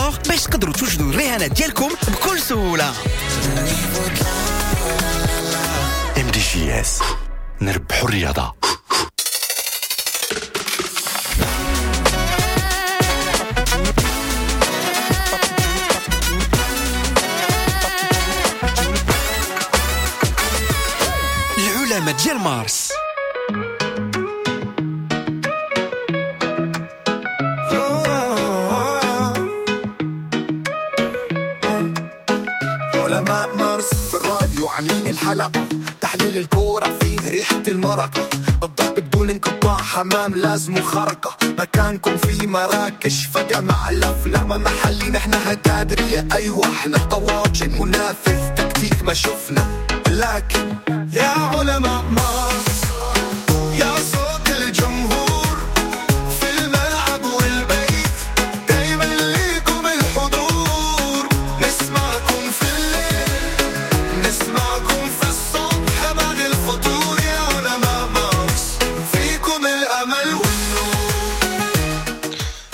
Sport باش تقدروا توجدوا الرهانات ديالكم بكل سهولة. MDJS، نربحوا الرياضة. العلماء ديال مارس. علماء مارس في الراديو عاملين الحلقة، تحليل الكورة فيه ريحة المرقة، الضرب بدون انقطاع، حمام لازم خرقة، مكانكم في مراكش فجأة مع الأفلام محلي، نحن هتادرية، أيوة احنا طواجن منافذ تكتيك ما شفنا، لكن يا علماء مارس يا صوت الجمهور في الملعب والبيت، دايما ليكم الحضور، نسمعكم في الليل نسمعكم في الصبح بعد الفطور، يا علماء مارس فيكم الأمل والنور.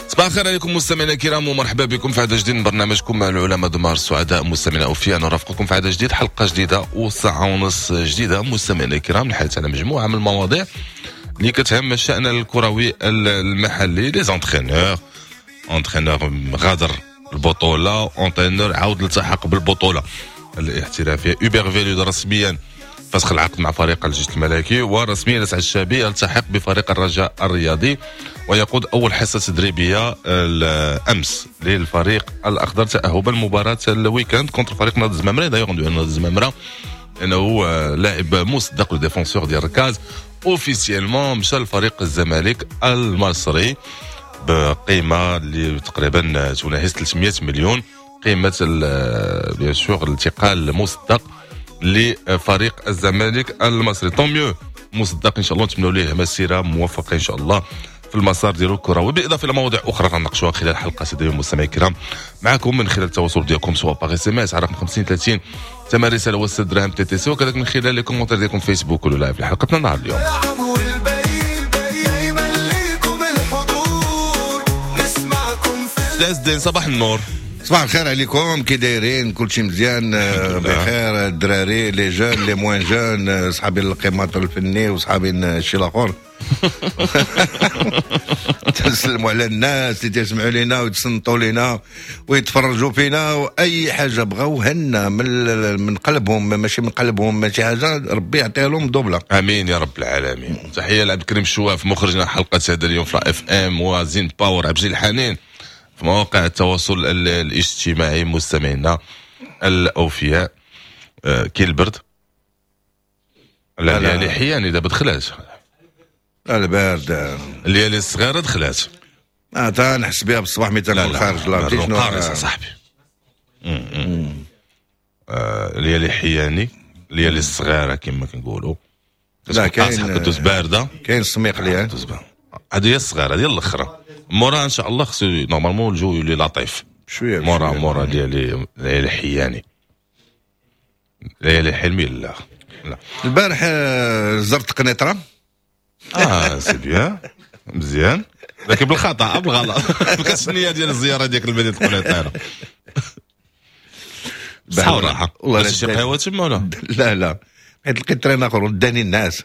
صباح الخير عليكم مستمعينا الكرام، ومرحبا بكم في عدد جديد من برنامجكم مع العلماء دمار. سعداء مستمعينا اوفياء نرافقكم في عدد جديد، حلقة جديدة وساعة ونص جديدة مستمعينا الكرام، الحديث على مجموعة من المواضيع اللي كتهم الشان الكروي المحلي. les entraîneurs، entraîneur غادر البطولة، entraîneur عاود التحق بالبطولة الاحترافية. هوبر فيلود رسميا فسخ العقد مع فريق الجيش الملكي، ورسميا لسعد الشابي التحق بفريق الرجاء الرياضي ويقود اول حصة تدريبية الامس للفريق الاخضر تاهبا لمباراة ال week-end contre فريق نادي الزمامره. d'ailleurs نادي الزمامره انه لاعب مصدق le défenseur ديال الركاز officiellement مشى لفريق الزمالك المصري بقيمة اللي تقريبا تناهز 300 مليون قيمة bien sûr الانتقال مصدق لفريق الزمالك المصري. tant mieux مصدق، ان شاء الله نتمنوا ليه مسيره موفقة ان شاء الله في المسار ديالو الكروي، بالاضافة الى مواضيع اخرى غنناقشوها خلال حلقة اليوم مستمعي الكرام معكم من خلال التواصل ديالكم سواء par SMS على رقم 50 30 ثمن رسالة و 6 دراهم TTC، وكذلك من خلال les commentaires ديالكم فيسبوك ولا live لحلقتنا نهار اليوم. الملعب والبيت دايما ليكم الحضور، نسمعكم في عز الدين صباح النور. صباح الخير عليكم، كي دايرين؟ كلشي مزيان؟ بخير الدراري، les jeunes les moins jeunes، صحابي القيماط الفني وصحابي الشيء الاخر. تنسلموا على الناس اللي تسمعوا لينا ويتصنتوا لينا ويتفرجوا فينا، واي حاجة بغاو هنا من قلبهم، ماشي من قلبهم ماشي حاجة، ربي يعطيها لهم دوبله. امين يا رب العالمين. تحية لعبد الكريم الشواف مخرجنا حلقة هذا اليوم في FM، وزين باور عبد الحنين في مواقع التواصل الاجتماعي. مستمعينا الاوفياء، كاين البرد لا الليالي حياني دابا دخلات، البرد الليالي الصغيرة دخلات، تنحس بها بالصباح ملي تنكون خارج. لا شنو قارص صاحبي، الليالي حياني، الليالي الصغيرة كما كنقولوا، لا كاين كدوز باردة، كاين السميق ليها، هذه هي الصغيرة ديال الاخرى. مورا ان شاء الله خصو normalement الجو يولي لطيف شوية، مورا ديالي ليالي حياني، ليالي حلمي. لا لا البارح زرت قنيطره. c'est bien مزيان، لكن بالخطا بالغلط ما كانتش النية ديال الزيارة ديالك لمدينة القنيطره. صحة وراحة. والله شي قهوة تما ولا؟ لا لا، حيت لقيت train اخر وداني الناس.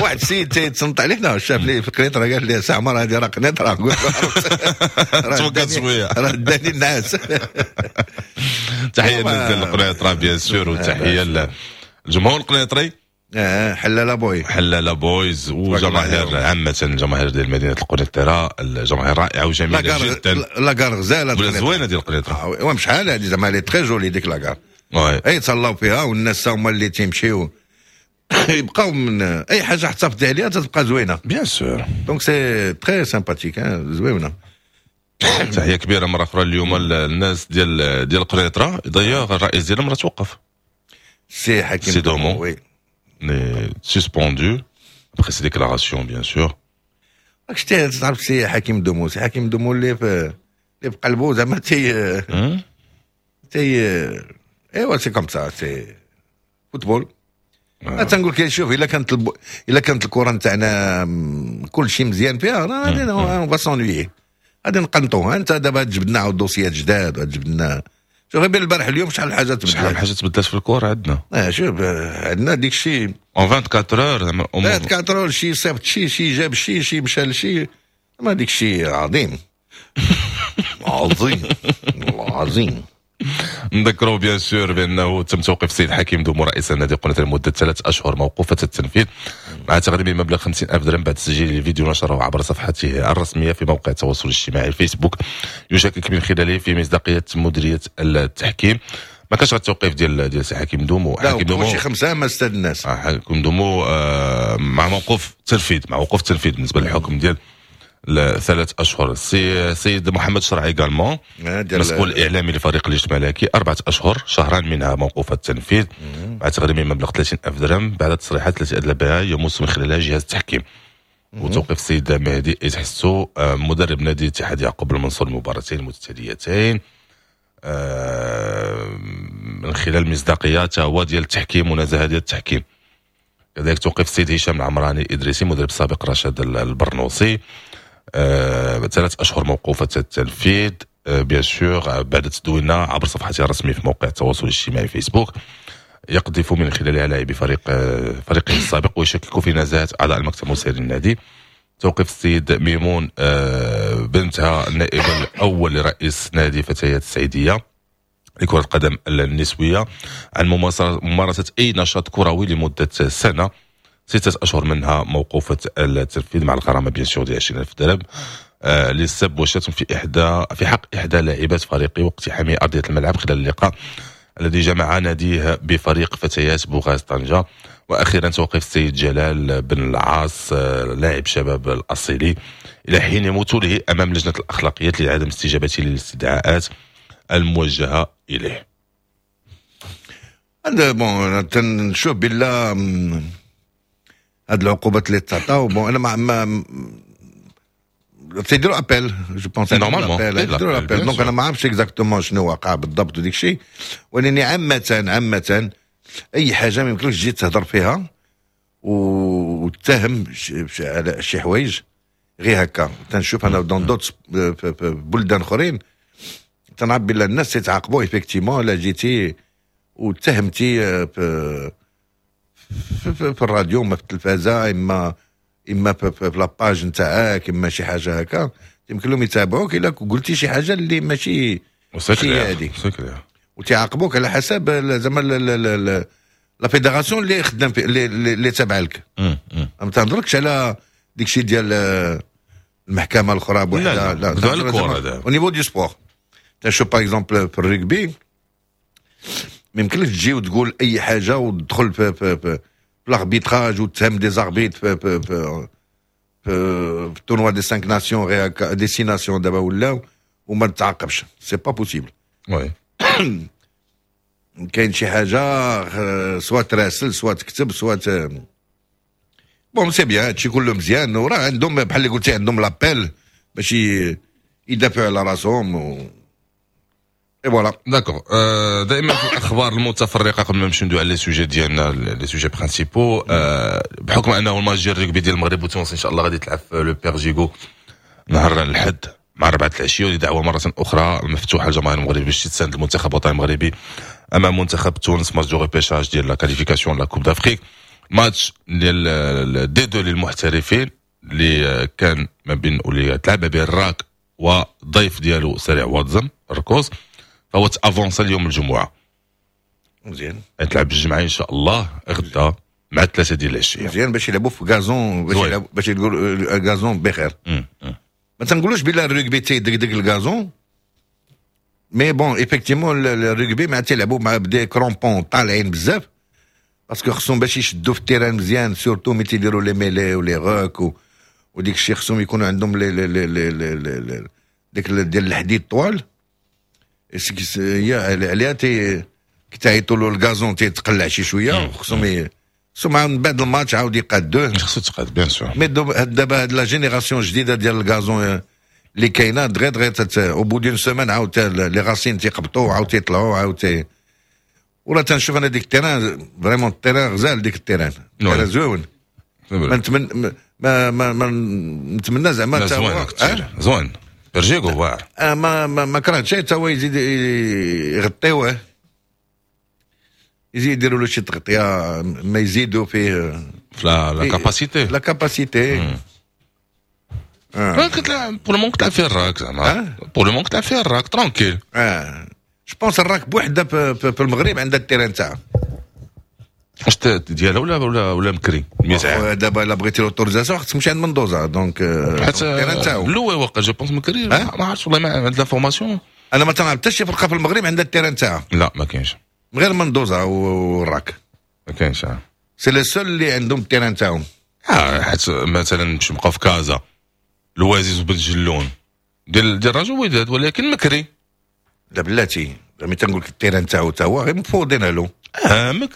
واحد السيد تيتصنت علينا، شاف لي في قنيطره قال لي سي عمر هذه راه قنيطره. توقعت شوية، راه داني الناس. تحية للقنيطره bien sûr، وتحية للجمهور القنيطري. حلاله بوي، حلاله بويز، وجماهير عامة، الجماهير ديال مدينة القنيطره، الجماهير رائعة وجميلة جدا. la gare غزاله زوينة ديال القنيطره، ومشحال هذه زعما elle est très jolie ديك la gare، اي تهلاو فيها، والناس هما اللي تيمشيو يبقاو من اي حاجة احتفظتي عليها تتبقى زوينة. bien sûr، donc c'est très sympathique، زوينة. تحية كبيرة مرة اخرى اليوم الناس ديال القنيطره. d'ailleurs الرئيس ديالهم راه توقف، سي حكيم سي دومو، oui suspendu après ses déclarations bien sûr. راك شتي تعرف سي حكيم دومو، سي حكيم دومو اللي في قلبو زعما تي ايوا c'est comme ça، c'est football. تنقول لك شوف، الا كانت الا كانت الكره نتاعنا كل شيء مزيان فيها راه on va s'ennuyer. غادي نقنطوها. انت دابا تجبدنا عاود dossier ات جداد، تجبدنا شوف غير بين البارح اليوم شحال الحاجات تبدلات، شحال الحاجات تبدلات في الكره عندنا. شوف عندنا ديك الشيء en 24 heures، زعما 24 heures شي صيفط شي، شي جاب شي، شي مشى لشي، ما ديك الشيء عظيم عظيم عظيم. نذكروا bien sûr بانه تم توقيف السيد حكيم دومو رئيس النادي القنيطري لمدة 3 اشهر موقوفة التنفيذ مع تغريم مبلغ 50,000 درهم بعد تسجيل فيديو نشره عبر صفحته الرسمية في موقع التواصل الاجتماعي الفيسبوك، يشكك من خلاله في مصداقية مديرية التحكيم. ما كانش التوقيف ديال سي حكيم دومو. حكيم دومو شي خمسة ما استاد الناس. حكيم دومو مع موقوف تنفيذ، مع وقوف تنفيذ بالنسبة للحكم ديال 3 اشهر. السيد محمد شرعي également، مسؤول اعلامي لفريق الجيش الملكي، 4 اشهر، شهران منها موقوف التنفيذ مع تغريم مبلغ 30 الف درهم بعد التصريحات التي ادلى بها يمس من خلالها جهاز التحكيم. وتوقيف السيد مهدي إتحسو مدرب نادي اتحاد يعقوب المنصور المباراتين المتتاليتين من خلال مصداقية هو ديال التحكيم ونزاهه ديال التحكيم. كذلك توقيف السيد هشام العمراني ادريسي، مدرب سابق رشاد البرنوسي، 3 اشهر موقوفة التنفيذ bien sûr بعد تدوينه عبر صفحته الرسمية في موقع التواصل الاجتماعي فيسبوك يقذف من خلالها لاعبي فريقه السابق ويشكك في نزاهة اعضاء المكتب المسير للنادي. توقيف السيد ميمون بنتها، النائب الاول لرئيس نادي فتيات السعيديه لكرة القدم النسوية، عن ممارسة أي نشاط كروي لمدة سنة، 6 أشهر منها موقوفة التنفيذ مع الغرامة bien sûr ديال 20,000 درهم للسب والشتم في حق إحدى لاعبات فريقه واقتحام أرضية الملعب خلال اللقاء الذي جمع ناديه بفريق فتيات بوغاز طنجة. واخيرا توقف السيد جلال بن العاص لاعب شباب الاصيلي الى حين مثوله امام لجنة الاخلاقيات لعدم استجابته للاستدعاءات الموجهة اليه. هذا bon تنشوف بالله هاد العقوبات اللي تعطاو، bon انا ما تيديروا appel، je pense. normalement. يديروا appel، donc انا ما عرفتش exactement شنو وقع بالضبط وديك الشيء، ولكن عامة عامة اي حاجة ما يمكنلكش تجي تهضر فيها وتتهم على شي حوايج غير هكا. تنشوف انا dans d'autres بلدان اخرين تنعرف بلا الناس يتعاقبوا effectivement لا جيتي واتهمتي في الراديو، ما في التلفازه، اما في la page نتاعك، اما شي حاجة هكا، يمكن لهم يتابعوك الا قلتي شي حاجة اللي ماشي هادي وتعاقبوك على حسب زعما la fédération اللي خدام في اللي تابع لك. ما تنهضركش على ديك الشيء ديال المحكمة الاخرى بوحدها. لا لا، au niveau du sport تشوف par exemple في الرugby ما يمكنلكش تجي وتقول اي حاجة وتدخل في l'arbitrage وتهم des arbitres في tournoi des 5 nations، غير des 6 nations دابا ولاو، وما تعاقبش، c'est pas possible. oui. كاين شي حاجة soit تراسل، soit تكتب، soit bon c'est bien، هادشي كله مزيان، وراه عندهم بحال اللي قلتي عندهم l'appel باش يدافعوا على راسهم و et voilà. d'accord. دائما في الاخبار المتفرقه، قبل ما نمشيو ندوي على les sujets ديالنا، les sujets principaux، بحكم انه الماتش ديال الركبي ديال المغرب وتونس ان شاء الله غادي تلعب في le Père Jégo نهار الحد مع 4 العشيه، ودي دعوه مرة اخرى مفتوحة للجماهير المغربية باش تساند المنتخب الوطني المغربي امام منتخب تونس، match de repêchage ديال la qualification la Coupe d'Afrique، match ديال D2 للمحترفين اللي كان ما بين واللي تلعب ما بين الراك وضيف ديالو سريع واد زم الركوز، فهو ت avança اليوم الجمعه. مزيان. تلعب الجمعة ان شاء الله غدا مع 3 ديال العشيه. مزيان باش يلعبوا في gazon، باش يلعبوا، باش يقولوا gazon بخير. ما تنقولوش بلا الرugby تيدقدق ال gazon، mais bon effectivement ال rugby مع تيلعبوا مع ب des crampons طالعين بزاف parce que خصهم باش يشدوا في ال terrain مزيان، surtout ملي تيديروا les mêlées و les rucks وديك الشيء، خصهم يكونوا عندهم les ديك ديال الحديد طوال، هي عليها تي كي له ال gazon تيتقلع شي شويه، خصهم من بعد الماتش عاود يقادوه. خصو تقاد bien sûr. mais دابا هاد la génération الجديدة ديال ال gazon اللي كاينه دغيا دغيا au bout d'une semaine عاود les racines تيقبطوا، عاود تيطلعوا، عاود تي ولا تنشوف انا ديك ال terrain، vraiment ال terrain غزال، ديك ال terrain terrain زوين، ما نتمنى ما ما, ما نتمنى زعما. زوين زوين. بيرجيكو واعر. ما كرهتش حتى هو يزيد يغطيوه، يزيد يديروا له شي تغطيه، ما يزيدوا فيه في la capacité. la capacité. كتلعب pour le moment، كتلعب فيه الراك زعما، pour le moment كتلعب فيه الراك tranquille. je pense الراك بوحده في المغرب عندها ال terrain تاعها. واش ديالها ولا مكري 100 عام؟ دابا الا بغيتي l'autorisation خصك تمشي عند مندوزا، donc حيت ال terrain تاعو الاول واقع je pense مكري، ما عرفتش والله، ما عند l'information. انا ما تنعرف حتى شي فرقه في المغرب عندها ال terrain تاعها. لا، ما كاينش. غير مندوزا والراك. ما كاينش. c'est les seuls اللي عندهم ال terrain تاعهم. حيت مثلا باش نبقاو في كازا، الوازيز وبن جلون ديال الرجاء وداد، ولكن مكري. لا بلاتي، ملي تنقول لك ال terrain تاعو تا هو غير مفوضين له.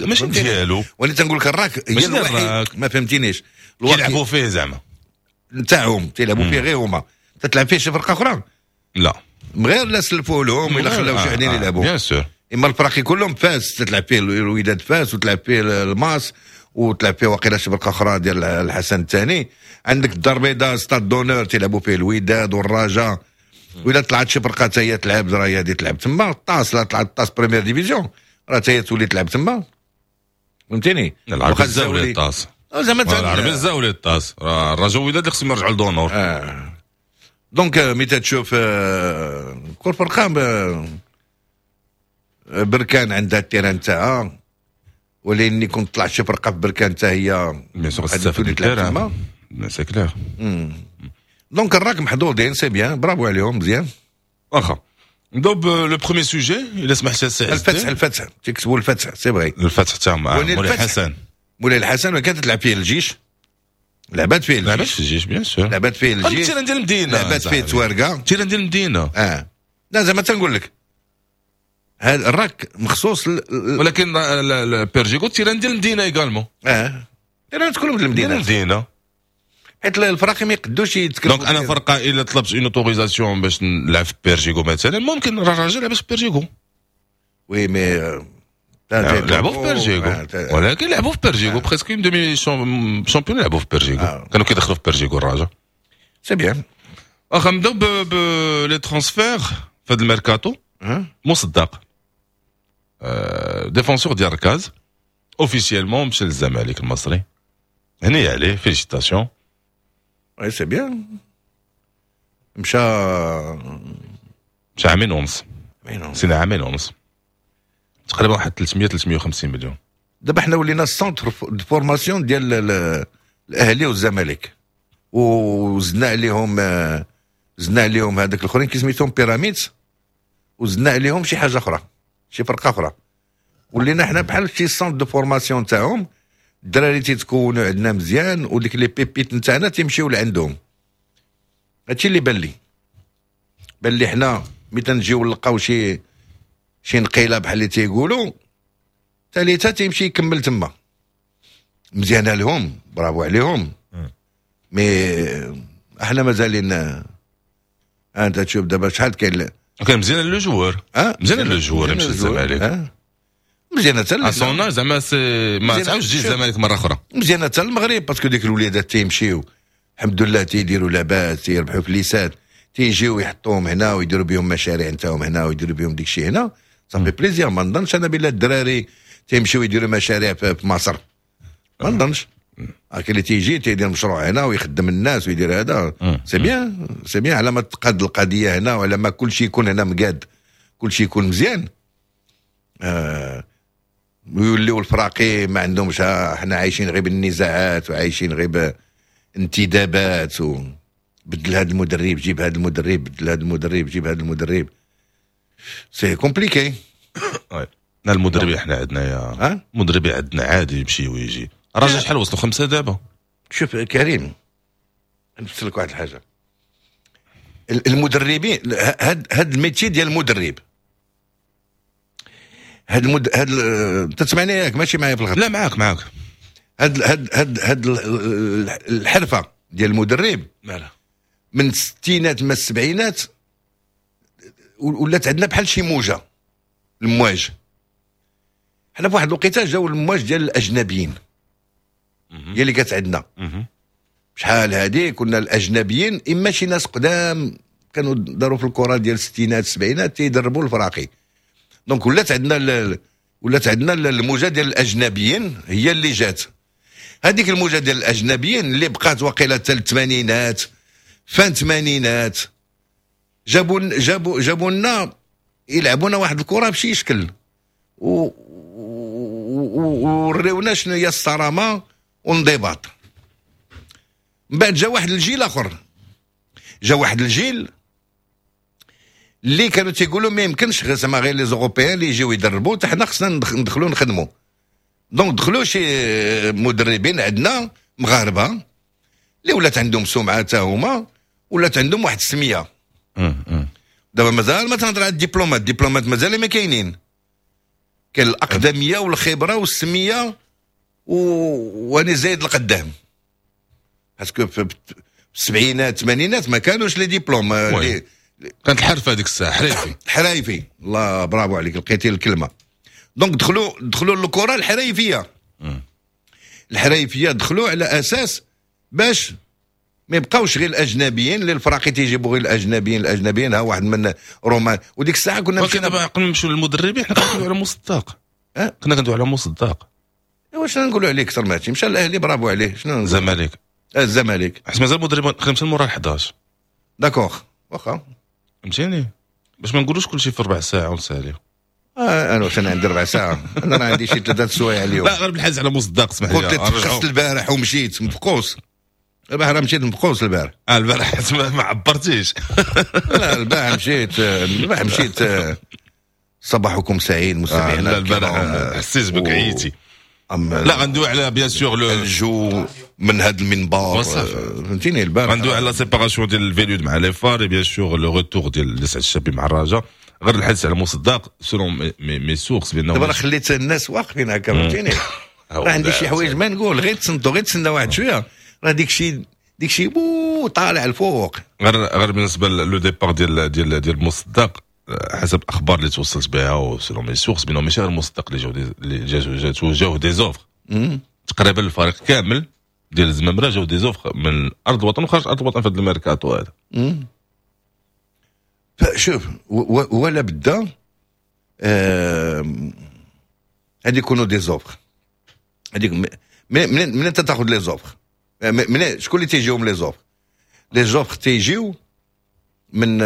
ماشي ديالو. ولي تنقول لك الراك هي الوحيد، ما فهمتينيش. كيلعبوا فيه زعما. نتاعهم، تيلعبوا فيه غير هما، تتلعب فيه شي فرقه اخرى؟ لا. غير لا سلفوا لهم ولا خلاو شي وحدين يلعبوا. bien sûr. اما الفراقي كلهم، فاس تتلعب فيه الوداد فاس، وتلعب فيه الماس، وتلعب فيه واقيلا شي فرقه اخرى ديال الحسن الثاني. عندك الدار البيضاء stade d'honneur تيلعبوا فيه الوداد والرجاء، وإلا طلعت شي فرقه حتى هي تلعب، راه هي تلعب تما. الطاس، لا طلعت الطاس première division، راه حتى هي تولي تلعب تما، فهمتيني؟ العربي الزاولي الطاس. زعما العربي الزاولي الطاس، الرجاء وداد اللي خصهم يرجعوا ل d'honneur. Donc ملي تشوف كل فرقه، بركان عندها ال terrain تاعها، ولكن كنت طلعت شي فرقه في بركان حتى هي bien sûr تستافد تلعب تما، c'est clair. donc الراك محظوظين، c'est bien، برافو عليهم، مزيان. واخا، نبداو ب le premier sujet الا سمحت سي. الفتح، الفتح تكسبوا الفتح، c'est vrai. الفتح تاع مولاي الحسن. مولاي الحسن كانت تلعب فيه الجيش، لعبات فيه الجيش. لعبات في الجيش، bien sûr. لعبات فيه الجيش. ال terrain ديال المدينه. لعبات فيه توارقه. ال terrain ديال المدينه. لا زعما تنقول لك هذا الراك مخصوص. ولكن بيرجيكو ال terrain ديال المدينة également. Terrain كلهم ديال المدينه. المدينه. حيت الفراقي ما يقدوش يتكلموا. donc انا فرقه الا طلبت une autorisation باش نلعب في بيرجيكو مثلا، ممكن الرجاء لعب في بيرجيكو. oui mais لعبوا في بيرجيكو، ولكن لعبوا في بيرجيكو presque demi championnat، لعبوا في بيرجيكو، كانوا كيدخلوا في بيرجيكو الرجاء. c'est bien. واخا، نبداو ب les transferts في هذا الميركاتو. مصدق، défenseur ديال ركاز، officiellement مشى للزمالك المصري، هني عليه، félicitations. oui c'est bien، مشى. مشى عامين ونص، سنة عامين ونص تقريبا، واحد 300 350 مليون. دابا حنا ولينا centre de formation ديال الاهلي والزمالك، وزدنا عليهم، زدنا عليهم هذاك الاخرين كي سميتهم بيراميدز، وزدنا عليهم شي حاجة اخرى، شي فرقه اخرى. ولينا حنا بحال شي centre de formation تاعهم. الدراري تيتكونوا عندنا مزيان، وديك les pépites نتاعنا تيمشيو لعندهم. هادشي اللي بان لي. حنا ملي تنجيو نلقاو شي نقيله بحال اللي تيقولوا ثالثه، تيمشي يكمل تما. مزيانه لهم، برافو عليهم، mais احنا مازالين. انت تشوف دابا شحال كاين. كان مزيان le joueur. اه. مزيان le joueur يمشي للزمالك. مزيانه حتى son زعما c'est ما تعاودش تجي الزمالك مرة اخرى. مزيانه حتى المغرب، parce que ديك الوليدات تيمشيو الحمد لله تيديروا لاباس، تيربحوا فليسات، تيجيو يحطوهم هنا ويديروا بهم مشاريع نتاعهم هنا ويديروا بهم ديك الشيء هنا، ça fait plaisir. ما نظنش انا بلا الدراري تيمشيو يديروا مشاريع في مصر، ما نظنش. كاين اللي تيجي تيدير مشروع هنا ويخدم الناس ويدير هذا، c'est bien، c'est bien. على ما تقاد القضية هنا وعلى ما كل شيء يكون هنا مقاد، كل شيء يكون مزيان، ويوليو الفراقي ما عندهمش. احنا عايشين غير بالنزاعات وعايشين غير بانتدابات و بدل هذا المدرب، جيب هذا المدرب، بدل هذا المدرب، جيب هذا المدرب، c'est compliqué. لا، المدرب احنا عندنا يا مدرب عندنا عادي يمشي ويجي. الراجل شحال وصلوا؟ خمسة دابا. شوف كريم، نفسر لك واحد الحاجه. المدربين، هاد ال métier ديال المدرب، هاد تسمعني ياك؟ ماشي معايا في الخط؟ لا، معاك معاك. هاد الحرفة ديال المدرب مالها؟ من الستينات ما السبعينات ولات عندنا بحال شي موجه، المواج. حنا في واحد الوقيته جاو المواج ديال الاجنبيين هي اللي كانت عندنا. شحال هادي كنا الاجنبيين اما شي ناس قدام. كانوا داروا في الكره ديال الستينات السبعينات تيدربوا الفراقي. donc ولات عندنا الموجه ديال الاجنبيين هي اللي جات. هذيك الموجه ديال الاجنبيين اللي بقات وقيله حتى الثمانينات، fin الثمانينات، جابوا لنا يلعبونا واحد الكره بشي شكل ووريونا شنو هي الصرامه والانضباط. من بعد جا واحد الجيل اخر، جا واحد الجيل اللي كانوا تيقولوا ما يمكنش غير زعما غير les Européens اللي يجيو يدربوا، حتى حنا خصنا ندخلوا نخدموا. donc دخلوا شي مدربين عندنا مغاربة اللي ولات عندهم سمعه حتى هما، ولات عندهم واحد السميه. دابا مازال ما تنهضر على الدبلومات، الدبلومات مازال ما كاينين، كاين الاقدميه والخبرة والسميه واني زايد القدام، parce que في السبعينات الثمانينات ما كانوش les diplômes. oui. كانت الحرفة هذيك الساعه، حريفي. حرايفي، الله، برافو عليك، لقيتي الكلمه. donc دخلوا الكره الحرايفيه. الحرايفيه دخلوا على اساس باش ما يبقاوش غير الاجنبيين، اللي الفراقي تيجيبوا غير الاجنبيين. الاجنبيين ها واحد من رومان، وديك الساعة كنا ولكن دابا قبل نمشيو للمدربين، حنا كندويو على مصداق. أه؟ كنا كندويو على مصداق. واش نقولوا عليه اكثر؟ ما مشى الاهلي، برافو عليه، شنو نقول؟ الزمالك. الزمالك. حيت مازال مدرب خدمت مورا 11. d'accord، واخا. فهمتيني، باش ما نقولوش كلشي في ربع ساعة ونساليو. آه، انا واش انا عندي ربع ساعه؟ انا راه عندي شي 3 سوايع اليوم. لا، غير بالحز على مصداق، اسمح لي. قلت تفقست البارح ومشيت مفقوس، البارح راه مشيت مفقوس البارح. آه، البارح ما عبرتيش. لا، البارح مشيت. صباحكم سعيد مستمعينا. آه، لا، البارح الكرام. حسيت بك عييتي. لا. لا، غندوي على bien sûr le الجو من هذا المنبر. وصافي. فهمتيني، البارح غندوي على la séparation ديال الفيلود مع les FAR، bien sûr le retour ديال لسعد الشابي مع الرجاء. غير الحديث على مصداق، selon mes sources، بانه دابا راه خليت الناس واقفين هكا، فهمتيني، راه عندي شي حوايج ما نقول، غير تصنتوا، غير تسنى واحد شويه، راه ديك شي بو طالع الفوق. غير بالنسبة le départ ديال مصداق، حسب الاخبار اللي توصلت بها و selon mes sources، بانه ماشي غير مصدق اللي جاو des offres، تقريبا الفريق كامل ديال الزمامره جاو des offres من ارض الوطن وخارج ارض الوطن في هذا الميركاتو هذا. شوف، ولا بدا هادي يكونوا des offres هذيك، من انت تاخذ les offres؟ من شكون اللي تيجيهم les offres؟ les offres تيجيو من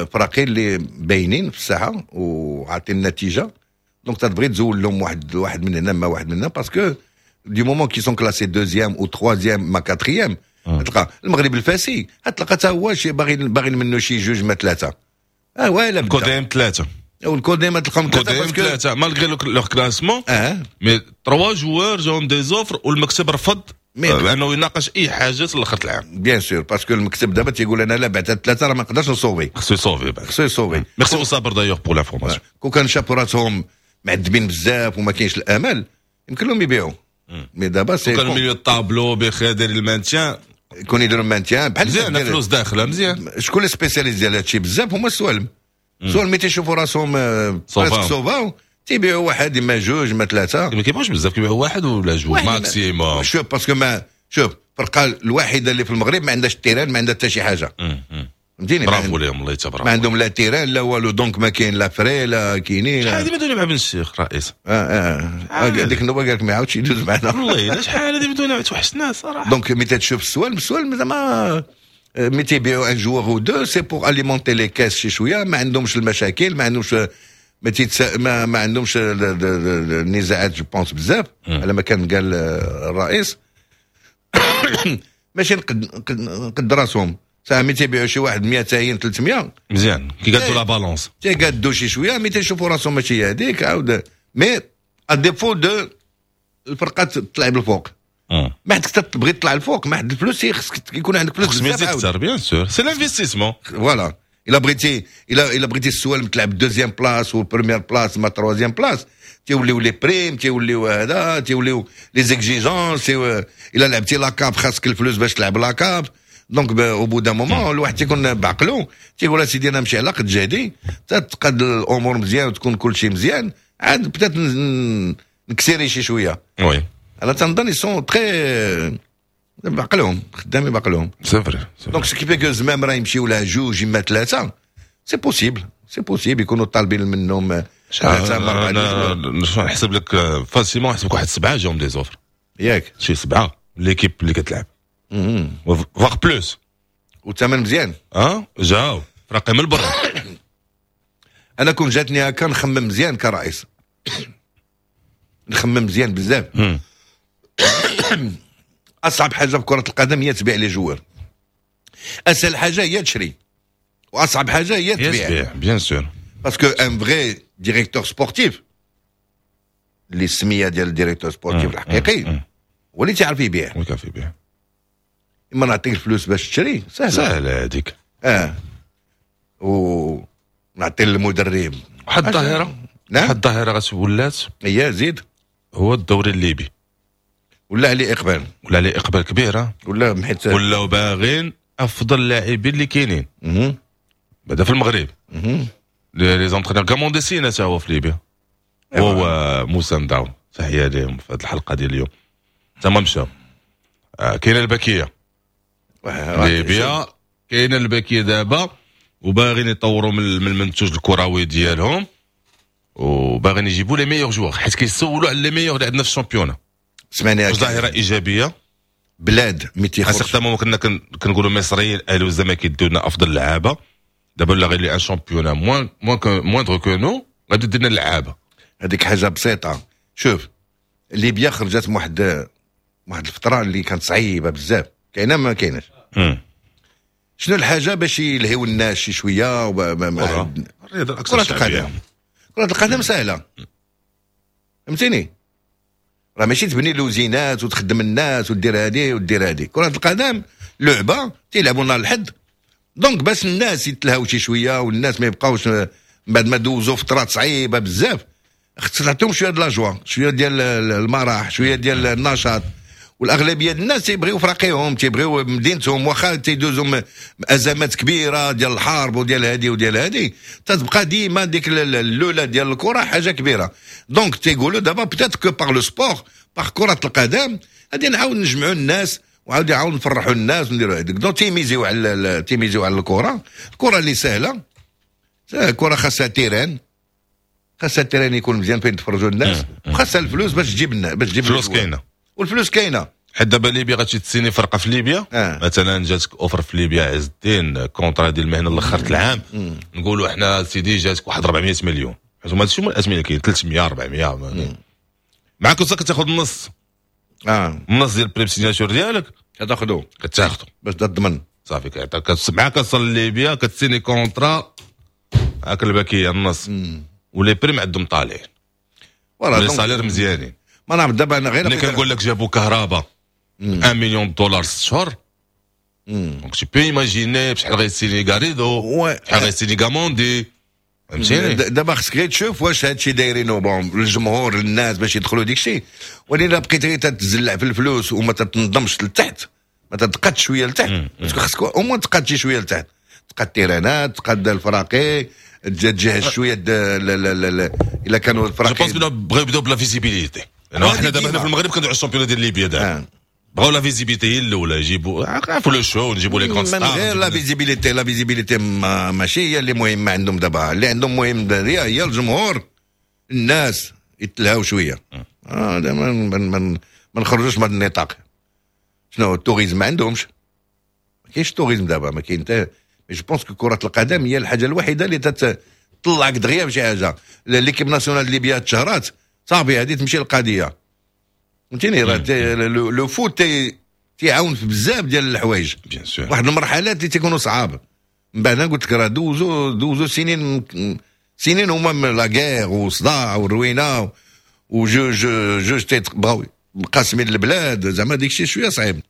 فراقين اللي باينين في الساحة وعاطين النتيجه، donc تبغي تزول لهم واحد واحد من هنا ما واحد من هنا، parce que du moment qu'ils sont classés deuxième ou troisième ما quatrième، تلقى المغرب الفاسي تلقى حتى هو شي باغي منه شي جوج ما ثلاثه، اه ولا بدا. كوديم ثلاثه. والكوديم تلقاهم ثلاثه. كوديم ثلاثه، malgré leur classement، mais trois joueurs جاهم des offres والمكتب رفض انه يناقش اي حاجة لاخر العام. bien sûr، parce que المكتب دابا تيقول انا لا بعت ثلاثة راه ما نقدرش نصوفي. خصو يصوفي بعد. خصو يصوفي. ميرسي صابر d'ailleurs pour l'information. كون كان شافوا راسهم معذبين بزاف وما كاينش الامل، يمكن لهم يبيعوا، mais دابا c'est كان milieu tableau بخير داير ال maintien. يكون يديروا ال maintien بحال مزيان، فلوس داخله مزيان. شكون les spécialistes ديال هادشي بزاف؟ هما السوالم. السوالم ملي تيشوفوا راسهم presque sauvés تيبيعوا واحد اما جوج ما ثلاثه. ما كيبيعوش بزاف، كيبيعوا واحد ولا جوج maximum. شوف، parce que ما شوف الفرقة الوحيدة اللي في المغرب ما عندهاش terrain، ما عندها حتى شي حاجه، فهمتيني؟ برافو لهم، الله يتبارك. ما عندهم لا terrain لا والو، donc ما كاين لا frais لا كاينين. شحال هادي بدون مع بن الشيخ رئيس. اه، ديك النوبة قال لك ما يعاودش يدوز معنا. والله الا شحال هادي بدون، توحشناه صراحه. donc ملي تشوف السوالم، السوالم زعما ملي تيبيعوا un joueur ou deux، c'est pour alimenter les caisses شي شويه. ما عندهمش المشاكل، ما عندهمش ما تيتسا ما, ما عندهمش النزاعات، je pense بزاف على ما كان قال الرئيس، ماشي نقد راسهم ساعة ملي تيبيعوا شي واحد 200 300. مزيان، كيقادوا la balance. تيقادوا شي شويه، ملي تيشوفوا راسهم ماشي هذيك عاود. mais à défaut de الفرقة تطلع بالفوق، ما عندك تبغي تطلع الفوق، ما عند الفلوس، خصك يكون عندك فلوس بزاف. اكثر، bien sûr، c'est l'investissement. voilà، الا بغيتي السوالم تلعب deuxième place و première place ما troisième place، تيوليو les primes، تيوليو هذا، تيوليو les exigences. الا لعبتي la CAF خاصك الفلوس باش تلعب la CAF. donc au bout d'un moment الواحد تيكون بعقلو، تيقول اسيدي انا نمشي على قد جهدي، تتقاد الامور مزيان وتكون كل شيء مزيان، عاد peut-être نكسيري شي شويه. oui. انا تنظن ils sont très بعقلهم، خدامين بعقلهم. c'est vrai. donc ce qui fait que زمام راه يمشيو لها جوج اما ثلاثه، c'est possible، c'est possible يكونوا طالبين منهم ثلاثة اربعه. نحسب لك facilement، نحسب لك واحد سبعة جاهم des offres. ياك؟ شي سبعة l'équipe اللي كتلعب، voire plus. والثمن مزيان. اه، جاو فراقي من برا. انا كون جاتني هكا نخمم مزيان كرئيس، نخمم مزيان بزاف. اصعب حاجة في كره القدم هي تبيع les joueurs. اسهل حاجة هي تشري واصعب حاجة هي تبيع. bien sûr. parce que un vrai directeur sportif، اللي السمية ديال ال directeur sportif الحقيقي هو اللي تيعرف يبيع. هو كيعرف يبيع. اما نعطيك الفلوس باش تشري، سهله. سهلة هذيك. اه، ونعطي للمدرب. واحد الظاهره. نعم، واحد الظاهرة ولات. هي زيد. هو الدوري الليبي. ولا عليه اقبال. ولا عليه اقبال كبير. ولا حيت ولاو باغين افضل اللاعبين اللي كاينين بعدا في المغرب. les entraîneurs، كاموندي سينا تا هو في ليبيا، وهو موسى نداو، تحية لهم في هذه الحلقة ديال اليوم، تما مشاو. كاينه الباكيه، ليبيا كاينه الباكيه دابا، وباغيين يطوروا من المنتوج الكروي ديالهم وباغيين يجيبوا les meilleurs joueurs، حيت كيسولوا على les meilleurs اللي عندنا في ال championnat. سمعني. ظاهره ايجابيه. بلاد mais تيخرج certainement كنا كنقولوا مصريين، الاهلي والزمالك كيديو لنا افضل لعابه. دابا لا، غير un championnat moins moindre que nous غادي دير لنا اللعابه. هذيك حاجة بسيطه. شوف، ليبيا خرجت من واحد الفترة اللي كانت صعيبة بزاف، كاينه ما كايناش. شنو الحاجة باش يلهيو الناس شي شويه؟ الرياضة الاكثر كره القدم. كره القدم سهله، فهمتيني؟ راه ماشي تبني لوزينات وتخدم الناس ودير هادي ودير هادي. كره القدم لعبه تيلعبوا نهار الحد، donc باش الناس يتلهاو شي شوية والناس ما يبقاوش من بعد ما دوزوا فترات صعيبة بزاف، خصك تعطيهم شوية د la joie، شوية ديال المرح، شوية ديال النشاط. والاغلبيه ديال الناس تيبغيو فراقيهم، تيبغيو مدينتهم، واخا تيدوزوا ازمات كبيرة ديال الحرب وديال هادي وديال هادي، تتبقى ديما ديك اللوله ديال الكره حاجة كبيره. donc تيقولوا دابا peut-être que par le sport، par كره القدم، غادي نعاود نجمعوا الناس وعاود نعاود نفرحوا الناس ونديروا هذيك. donc تيميزيو على الكره، الكره اللي سهله. الكره خاصها terrain، خاصها terrain يكون مزيان فين يتفرجوا الناس، وخاصها الفلوس باش تجيب الفلوس كاينه. والفلوس كاينه. حيت دابا ليبيا غتمشي تسيني فرقه في ليبيا. مثلا جاتك offre في ليبيا عز الدين، contrat ديال المهنة الاخر العام، نقولوا احنا سيدي جاتك واحد 400 مليون، حيت هما هادشي هما الاثمنه كاين 300 400، معاك كتاخذ النص. النص ديال prime signature ديالك. كتاخذو. كتاخذو. باش تضمن. صافي، معاك كتصل ليبيا، كتسيني contrat، هاك الباكيه النص، و les primes عندهم طالعين، les salaires مزيانين. ما نعرف دابا انا غير ملي كنقول لك جابوا كهرباء 1 مليون دولار 6 شهور، donc tu peux imaginer بشحال غيسيني غاريدو، شحال غيسيني غاموندي، فهمتيني؟ دابا خصك غير تشوف واش هادشي دايرينو bon للجمهور، للناس باش يدخلوا ديك الشيء، ولكن الا بقيت غير تتزلع في الفلوس وما تتنظمش لتحت، ما تتقادش شوية لتحت، parce que خصك au moins تقاد شي شوية لتحت، تقاد تيرانات، تقاد الفراقي، تجهز شوية الا كانوا الفراقي. je pense بغاو يبداو ب la visibilité، لانه حنا دابا هنا في المغرب كندويو على ال championnat ديال ليبيا دابا. بغاو la visibilité هي الاولى، يجيبوا عرفوا le show، نجيبوا les grandes stars. من غير la visibilité، la visibilité ماشي هي اللي مهمة عندهم دابا. اللي عندهم مهم هي الجمهور، الناس يتلهاو شويه. ما نخرجوش من هذا النطاق. شنو ال tourisme؟ ما عندهمش، ما كاينش tourisme دابا، ما كاين حتى. je pense que كره القدم هي الحاجة الوحيدة اللي تطلعك دغيا بشي حاجه. l'équipe nationale ليبيا تشهرات، صافي هذه تمشي القضيه، فهمتيني؟ راه le foot تيعاون في بزاف ديال الحوايج. bien sûr. واحد المرحلات اللي تيكونوا صعاب، من بعد قلت لك راه دوزو سنين سنين هما la guerre وصداع والروينه وجوج جوج تيبغاو مقاسمين البلاد، زعما ديك الشيء شوية صعيب.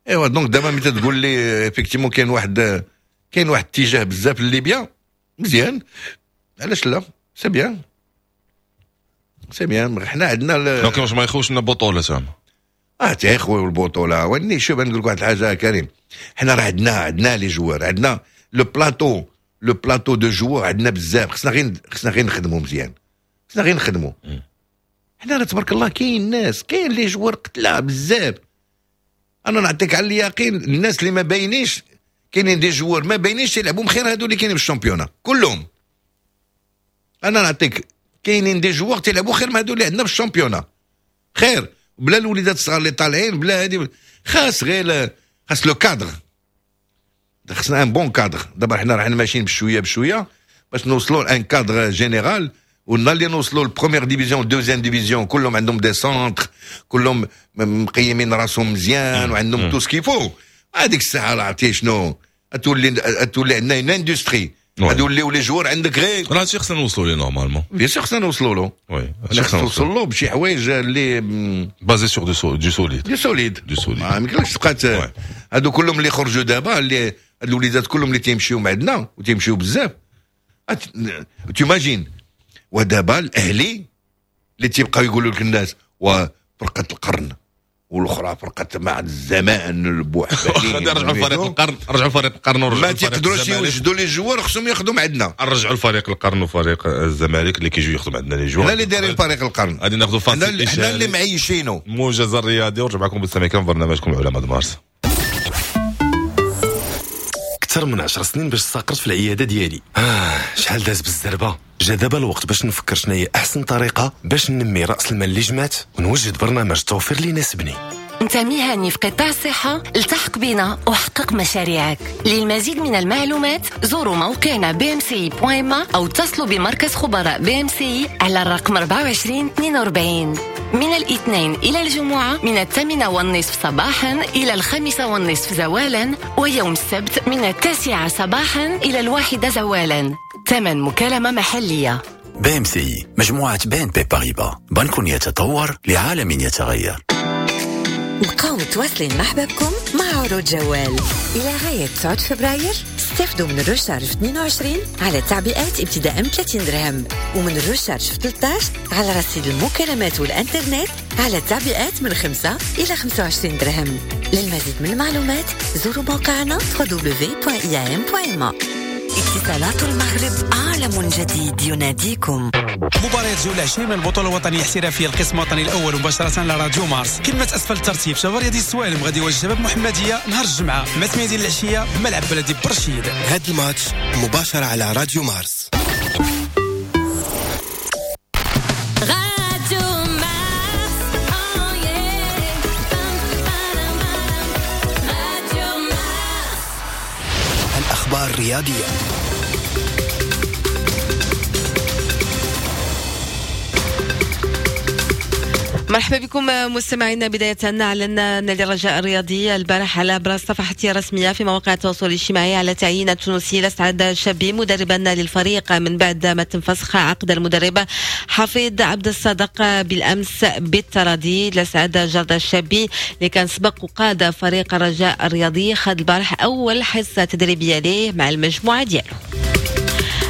ايوا donc دابا ملي تقول لي effectivement كاين واحد اتجاه بزاف لليبيا، مزيان، علاش لا؟ c'est bien، c'est bien. حنا عندنا donc واش ما يخوش لنا بطوله زعما؟ اه، تيخويو البطوله. وني شوف، نقول لك واحد الحاجة كريم، حنا راه عندنا les joueurs، عندنا le plateau de joueurs، عندنا بزاف. خصنا غير نخدموا مزيان، خصنا غير نخدموا. حنا راه تبارك الله كاين ناس، كاين les joueurs قتله بزاف. انا نعطيك على اليقين، الناس اللي ما باينينش، كاينين des joueurs ما باينينش يلعبوا خير هادو اللي كاينين في ال championnat كلهم. انا نعطيك كاينين des joueurs تيلعبوا خير من هادو اللي عندنا في ال championnat، خير بلا الوليدات الصغار اللي طالعين بلا هادي. خاص غير خاص le cadre، خاصنا un bon cadre. دابا حنا راحنا ماشيين بشوية بشوية باش نوصلوا un cadre général، ونهار اللي نوصلوا ال première division، deuxième division، كلهم عندهم des centres، كلهم مقيمين راسهم مزيان وعندهم tout ce qu'il faut. هذيك الساعة راه عرفتي شنو تولي عندنا une industrie، غادي les joueurs عندك غير راه هادشي خصنا نوصلوا ليه normalement. bien sûr خصنا نوصلوا له، oui خصنا نوصلوا له بشي حوايج اللي basés sur du solide، du solide، du solide. ما يمكنلكش تبقى هادو كلهم اللي خرجوا دابا، اللي الوليدات كلهم اللي تيمشيو مع عندنا وتيمشيو بزاف، t'imagines. ودابا الاهلي اللي تيبقاو يقولوا لك الناس وفرقه القرن والاخرى فرقه مع الزمان البوحبالي، رجعوا لفريق القرن، رجعوا لفريق القرن، ورجعوا ما تيقدروش يوجدوا les joueurs، خصهم ياخذوا من عندنا. رجعوا لفريق القرن وفريق الزمالك اللي كيجيو ياخذوا عندنا les joueurs. حنا اللي دايرين فريق القرن، غادي ناخذوا فاصل، حنا اللي معيشينه. موجز الرياضي ورجع معكم بالسمع كان برنامجكم العلماء مارس. اكثر من 10 سنين باش استقرت في العيادة ديالي، شحال داز بالزربه. جا دابا الوقت باش نفكر شنو هي احسن طريقه باش ننمي راس المال اللي جمعت ونوجد برنامج توفير اللي يناسبني. انت مهني في قطاع الصحة، التحق بنا وحقق مشاريعك. للمزيد من المعلومات زوروا موقعنا bmci.ma او اتصلوا بمركز خبراء BMCI على الرقم 24 42 من الاثنين الى الجمعة من 8:30 صباحا الى 5:30 زوالا، ويوم السبت من 9 صباحا الى 1 زوالا. ثمن مكالمة محلية. BMCI، مجموعة BNP Paribas، بنك يتطور لعالم يتغير. بقاو متواصلين مع حبابكم مع عروض جوال إلى غاية 9 فبراير. استفدوا من ال recharge 22 على تعبئات ابتداء من 30 درهم، ومن ال recharge 13 على رصيد المكالمات والإنترنت على تعبئات من 5 إلى 25 درهم. للمزيد من المعلومات زوروا موقعنا www.iam.ma. اتصالات المغرب، عالم جديد يناديكم. مباريات جولة 20 من البطولة الوطنية الاحترافية القسم الوطني الأول مباشرة على راديو مارس. قمة أسفل الترتيب شباب رياضي السوالم غادي يواجه شباب محمدية نهار الجمعة مع 8 ديال العشية بملعب بلدي برشيد. هذا الماتش مباشرة على راديو مارس. راديو مارس، راديو مارس. الأخبار الرياضية. مرحبا بكم مستمعينا. بداية أعلن نادي الرجاء الرياضي البارح على عبر صفحته الرسمية في مواقع التواصل الاجتماعي على تعيين التونسي لسعد الشابي مدربا للفريق من بعد ما تم فسخ عقد المدرب حفيظ عبد الصادق بالأمس بالتراضي. لسعد جرد الشابي اللي كان سبق وقاد فريق الرجاء الرياضي خد البارح أول حصة تدريبية ليه مع المجموعة ديالو.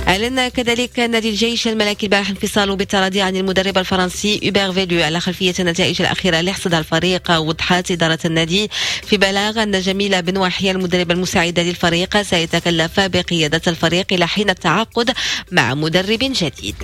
أعلن كذلك نادي الجيش الملكي البارح انفصاله بالتراضي عن المدرب الفرنسي هوبير فيلو على خلفية النتائج الأخيرة اللي حصدها الفريق. وضحت إدارة النادي في بلاغ أن جميلة بن وحية المدرب المساعدة للفريق سيتكلف بقيادة الفريق إلى حين التعاقد مع مدرب جديد.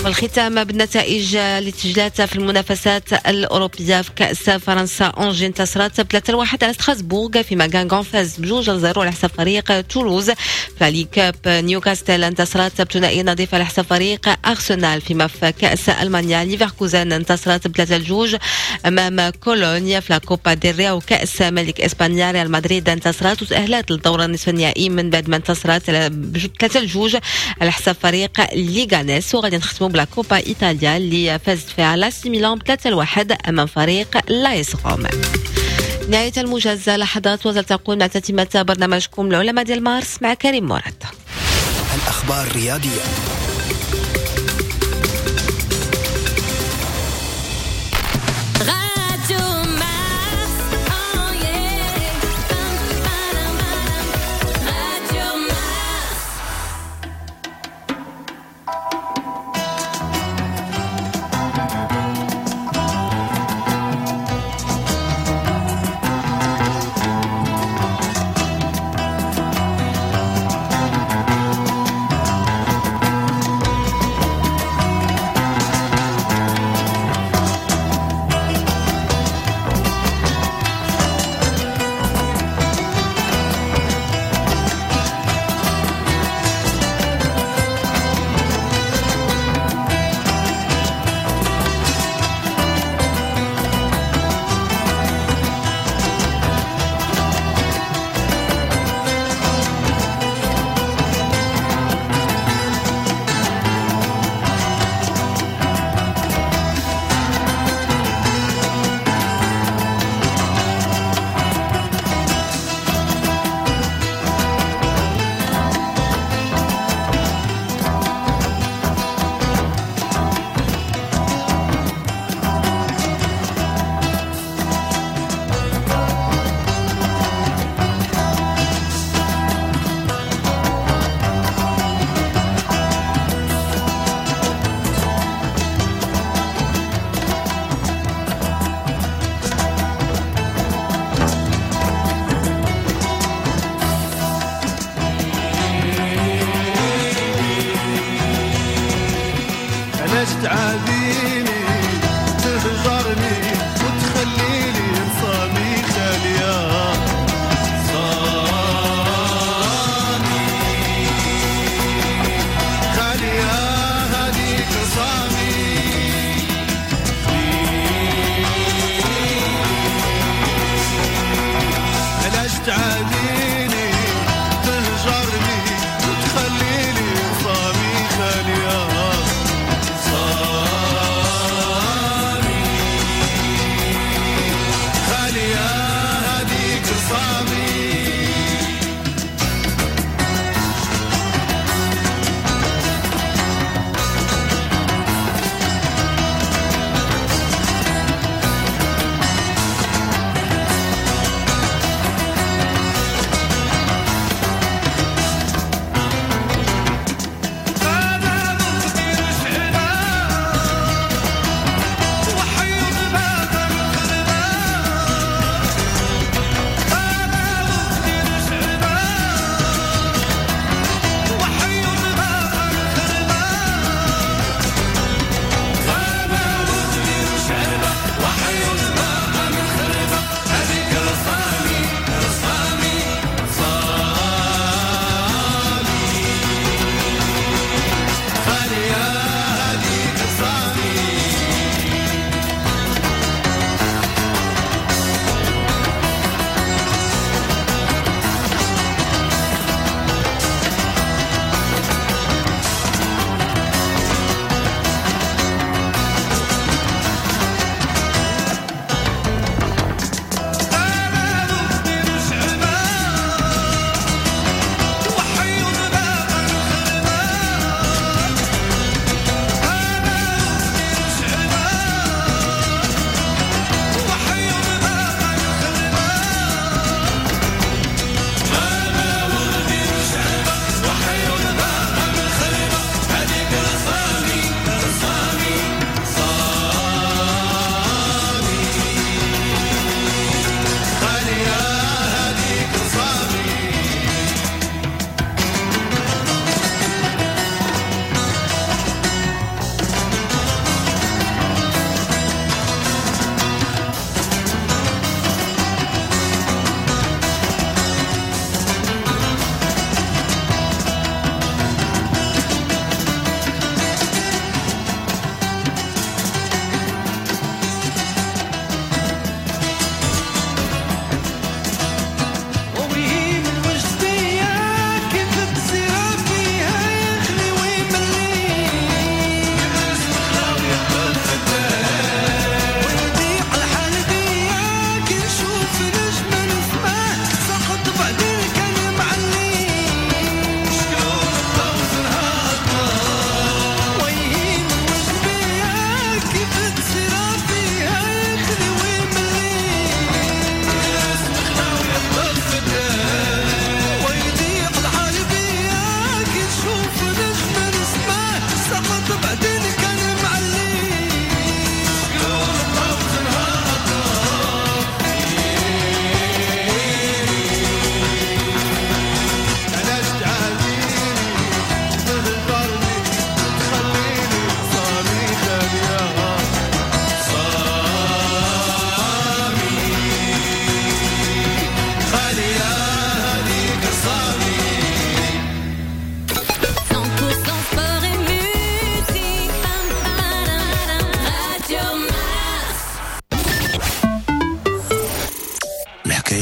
والختام بالنتائج اللي تسجلت في المنافسات الأوروبية. في كأس فرنسا أونجي انتصرت 3-1 على ستراسبورغ، فيما غانغون فاز 2-0 على حساب فريق تولوز. في League Cup نيوكاستل انتصرت بثنائي نظيف على حساب فريق أرسنال، فيما في كأس ألمانيا ليفركوزن انتصرت 3-2 أمام كولونيا. في Copa del Rey وكأس ملك إسبانيا ريال مدريد انتصرت وتأهلت للدور النصف النهائي من بعد ما انتصرت 3-2 على حساب فريق ليغانيس. وغادي نختموا ب la Coppa Italia اللي فازت فيها لاس ميلان 3-1 امام فريق لايس روم. نهاية الموجز لحظات وتلتقون مع تتمة برنامجكم العلماء ديال مارس مع كريم مراد. الأخبار الرياضية. علاش تعاديني تهجرني وتخليني رصامي خالية صامي خالية هذيك رصامي. علاش تعاديني تهجرني وتخليني رصامي خالية صامي خالية هذيك رصامي.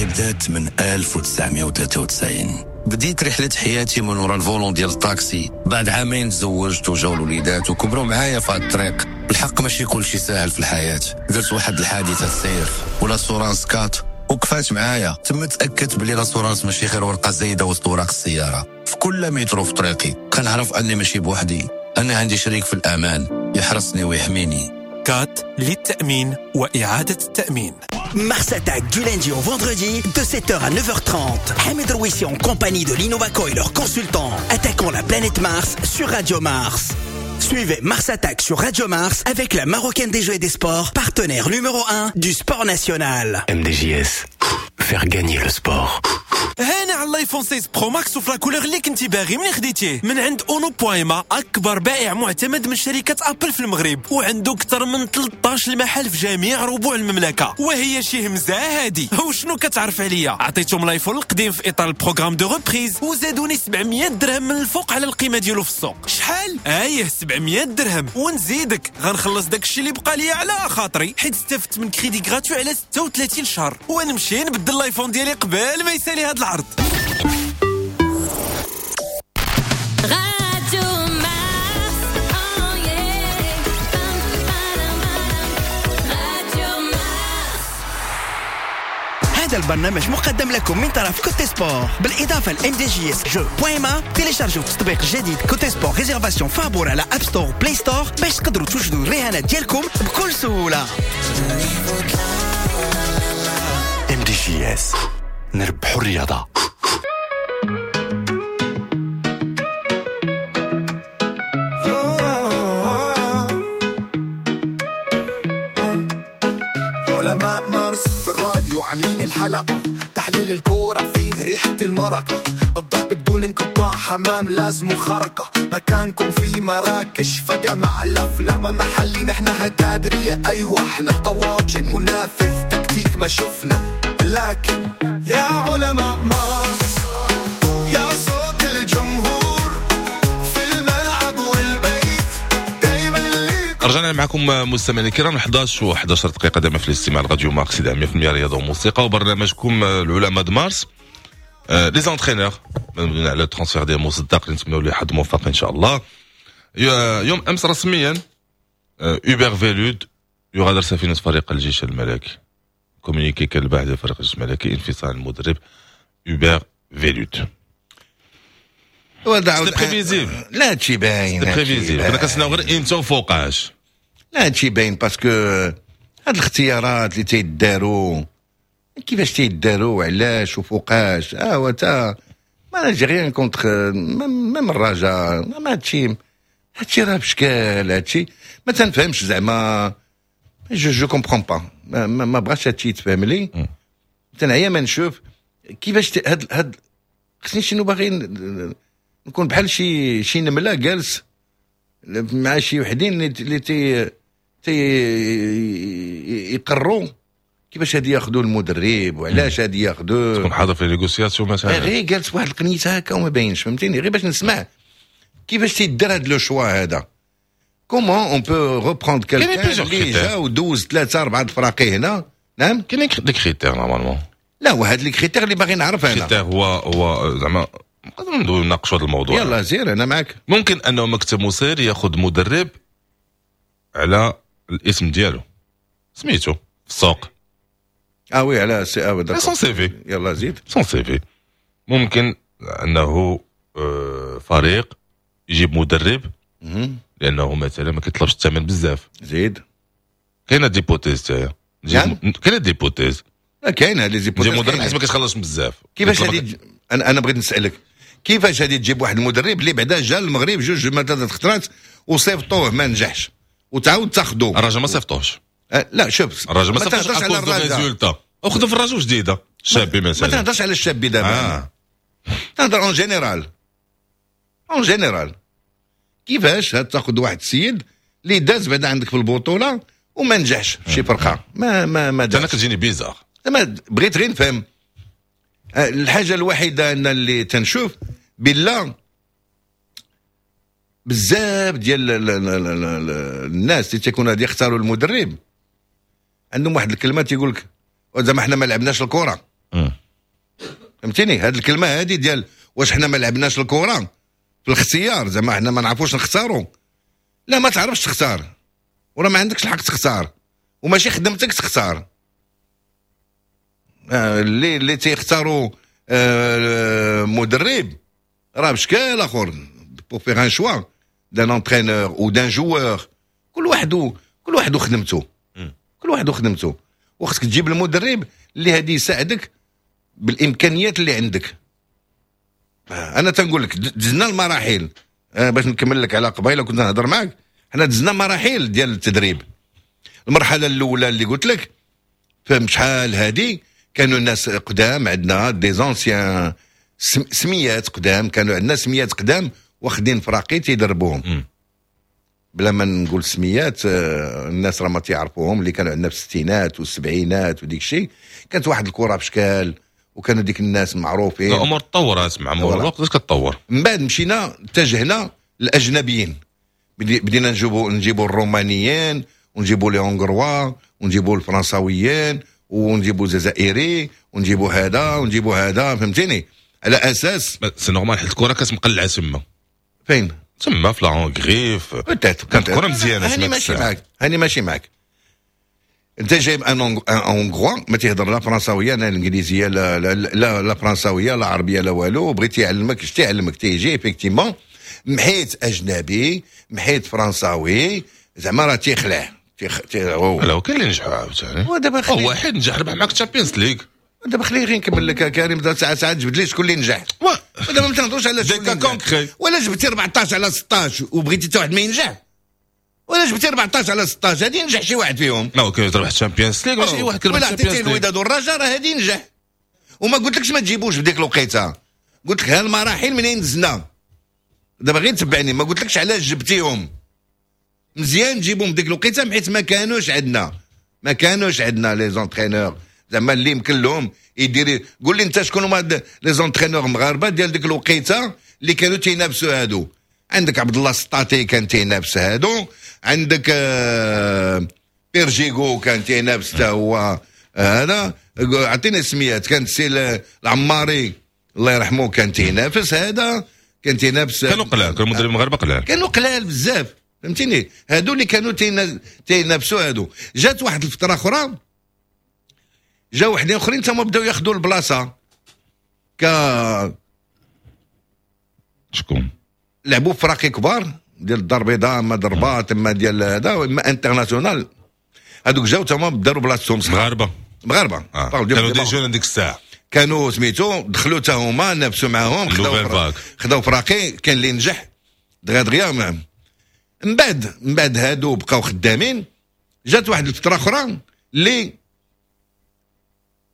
بدات من 1993. بديت رحلة حياتي من وراء ال volant ديال الطاكسي. بعد عامين تزوجت وجاو الوليدات وكبروا معايا في هذا الطريق. الحق ماشي كل شيء ساهل في الحياة. درت واحد الحادثة سير و l'assurance CAT وقفات معايا. تم تأكدت بلي l'assurance ماشي غير ورقة زايدة وسط وراق السيارة. في كل متر في طريقي كنعرف أني ماشي بوحدي، أنا عندي شريك في الأمان يحرسني ويحميني. CAT للتأمين وإعادة التأمين. Mars Attack du lundi au vendredi de 7h à 9h30. Hamid Rouissi en compagnie de l'Innovaco et leurs consultants attaquant la planète Mars sur Radio Mars. Suivez Mars Attack sur Radio Mars avec la Marocaine des Jeux et des Sports, partenaire numéro 1 du sport national. MDJS, faire gagner le sport. هانا على ال iPhone 16 Pro Max وفي la couleur اللي كنتي باغي من خديتيه من عند اونو بويما، اكبر بائع معتمد من شركة ابل في المغرب، وعنده اكثر من 13 محل في جميع ربوع المملكة. وهي شي همزه هادي. وشنو كتعرف عليا؟ عطيتهم ال iPhone القديم في اطار ال programme de reprise وزادوني 700 درهم من الفوق على القيمة ديالو في السوق. شحال؟ ايه 700 درهم. ونزيدك غنخلص داكشي اللي بقى ليا على خاطري، حيت استفدت من crédit gratuit على 36 شهر، ونمشي نبدل ال iPhone ديالي قبل ما يسالي هاد العرض. راديو مارس، oh yeah. راديو مارس. هذا البرنامج مقدم لكم من طرف Cote Sport بالاضافة ل MDJS jeux point ma. تيليشارجوا التطبيق الجديد Cote Sport réservation فابور على App Store، Play Store باش تقدروا توجدوا الرهانات ديالكم بكل سهولة. MDJS، نربحوا الرياضة. علماء مارس في الراديو عاملين الحلقة، تحليل الكورة فيه ريحة المرقة، الضرب بدون انقطاع، حمام لازم خرقة، مكانكم في مراكش فجأة مع الأفلام محلي، نحن هتادرية أيوة احنا طواجن منافذ تكتيك ما شفنا، لكن يا علماء مارس يا صوت الجمهور في الملعب والبيت دايما. رجعنا معكم مستمعينا الكرام 11 و11 دقيقة دائما في الاستماع لراديو مارس 100% رياضة وموسيقى وبرنامجكم العلماء د مارس. les entraîneurs على ال transfert ديال مصدق اللي نتمنوا له حظ موفق ان شاء الله. يوم امس رسميا هوبر فيلود يغادر سفينة فريق الجيش الملكي. communiqué كان البارح ديال فريق الجيش الملكي، انفصال المدرب هوبر فيلود. c'était prévisible. لا هادشي باين، c'était prévisible، كنا كنتسناو غير امتى وفوقاش. لا هادشي باين parce que هاد الاختيارات اللي تيداروا كيفاش تيداروا وعلاش وفوقاش. هو تا ما j'ai rien contre même الرجاء، ما هادشي راه بشكال، هادشي ما تنفهمش زعما، je comprends pas، ما بغاش هادشي يتفهم لي. تنعيا ما نشوف كيفاش هاد خصني شنو باغي نكون بحال شي نملة جالس مع شي وحدين اللي تي يقروا كيفاش هادي ياخذوا المدرب وعلاش هادي ياخذوه. تكون حاضر في négociations مثلا، غير جالس واحد القنيته هكا وما باينش، فهمتيني؟ غير باش نسمع كيفاش تيدير هاد le choix هذا. comment on peut reprendre quelqu'un اللي جا ودوز 3 4 الفراقي هنا. نعم كاين des critères normalement. لا وهاد les critères اللي باغي نعرف انا. critères هو زعما نقدروا ندويو نناقشوا هذا الموضوع. يلا زير انا معاك. ممكن انه مكتب مسير ياخذ مدرب على الاسم ديالو سميتو في السوق. oui على سي اه sans CV. يلا زيد sans CV. ممكن انه فريق يجيب مدرب لانه مثلا ما كيطلبش الثمن بزاف. زيد كاينه des hypothèses تاعي، كاينه des hypothèses. لا كاينه les hypothèses. تجيب مدرب حيت ما كيتخلصش بزاف. كيفاش هادي؟ انا بغيت نسالك كيفاش هادي تجيب واحد المدرب اللي بعدا جا للمغرب جوج ما ثلاث خطرات وصيفطوه ما نجحش وتعاود تاخذوه. الرجاء ما صيفطوهش. لا شوف الرجاء ما صيفطوهش على ال résultat. اخذوا في الرجاء جديدة الشابي مثلا. ما تهضرش على الشابي دابا. تهضر en général. en général كيفاش تاخذ واحد السيد اللي داز بعدا عندك في البطولة وما نجحش في شي فرقه ما ما ما انا كتجيني bizarre. ما بغيت غير نفهم الحاجة الوحيدة ان اللي تنشوف بالله بزاف ديال الناس اللي تيكونوا غادي يختاروا المدرب عندهم واحد الكلمة تيقول لك زعما حنا ما لعبناش الكره. فهمتيني؟ هاد الكلمة هادي ديال واش حنا ما لعبناش الكره في الاختيار، زعما حنا ما نعرفوش نختاروا. لا ما تعرفش تختار ولا ما عندكش الحق تختار وماشي خدمتك تختار. اللي تيختاروا مدرب راه بشكل اخر pour faire un choix d'un entraîneur ou d'un joueur. كل واحد وخدمته، كل واحد وخدمته، وخصك تجيب المدرب اللي هادي يساعدك بالامكانيات اللي عندك. انا تنقول لك دزنا المراحل باش نكمل لك على قبيلة كنت نهضر معك. حنا دزنا مراحل ديال التدريب. المرحلة الاولى اللي قلت لك فهم شحال هادي كانوا الناس قدام عندنا des anciens، سميات قدام، كانوا عندنا سميات قدام واخدين فراقي تيدربوهم، بلا ما نقول سميات، الناس راه ما تيعرفوهم، اللي كانوا عندنا في الستينات والسبعينات وديك الشيء. كانت واحد الكره بشكال وكانوا ديك الناس معروفين. الامور تطورات مع مرور الوقت، كتطور. من بعد مشينا اتجهنا للاجنبيين، بدينا نجيبوا الرومانيين ونجيبوا les Hongrois ونجيبوا الفرنساويين ونجيبوا الجزائري ونجيبوا هذا ونجيبوا هذا، فهمتيني؟ على اساس c'est normal، حيت الكره كانت مقلعه تما. فين؟ تما في la Hongrie كانت الكره مزيانه. هاني ماشي معاك، هاني ماشي معاك. انت جايب un Hongrois ما تيهضر لا فرنساويه لا الانجليزية لا لا لا, لا فرنساويه لا عربية لا والو، بغيتي يعلمك، اش تيعلمك؟ تيجي effectivement محيت اجنبي محيت فرنساوي، زعما راه تيخلع. لا، كاين اللي نجحوا عاوتاني. ودابا واحد نجح ربح معاك Champions League. دابا خليني غير نكمل لك كريم، ساعة ساعة جبد لي شكون اللي نجح. ودابا ما تنهضروش على شكون اللي ولا جبتي 14 على 16 وبغيتي حتى واحد ما ينجح، ولا جبتي 14 على 16 هادي ينجح شي واحد فيهم. لا كاين تربح Champions League ماشي واحد كيربح. ولا عطيتي الوداد والرجاء راه هادي ينجح. وما قلتلكش ما تجيبوش بديك الوقيته، قلت لك هالمراحل منين دزنا. دابا غير تبعني، ما قلتلكش علاش جبتيهم. مزيان تجيبهم بديك الوقيته حيت ما كانوش عندنا، ما كانوش عندنا les entraîneurs زعما اللي يمكن لهم يدير. قول لي انت شكون هما les entraîneurs مغاربة ديال ديك الوقيته اللي كانوا تينافسوا هادو؟ عندك عبد الله السطاطي كان تينافس هادو، عندك بيرجيغو كان تينافس حتى هو هذا، عطيني سميات. كان سي العماري الله يرحمه كان تينافس هذا، كان تينافس. كانوا قلال، كانوا مدربين مغاربة قلال، كانوا قلال بزاف، فهمتيني؟ هادو اللي كانوا تينافسوا هادو. جات واحد الفترة اخرى جاو وحدين اخرين تما بداو ياخذوا البلاصة. ك شكون؟ لعبوا فراقي كبار ديال الدار البيضاء، اما الرباط اما ديال هذا، اما international. هادوك جاو تما داروا بلاصتهم. مغاربة مغاربة. كانوا des jeunes ديك الساعة، كانوا سميتو دخلوا تا هما نافسوا معاهم، خداو فراقي، كان اللي نجح دغيا دغيا. من بعد هادو بقاو خدامين. جات واحد الفترة اخرى اللي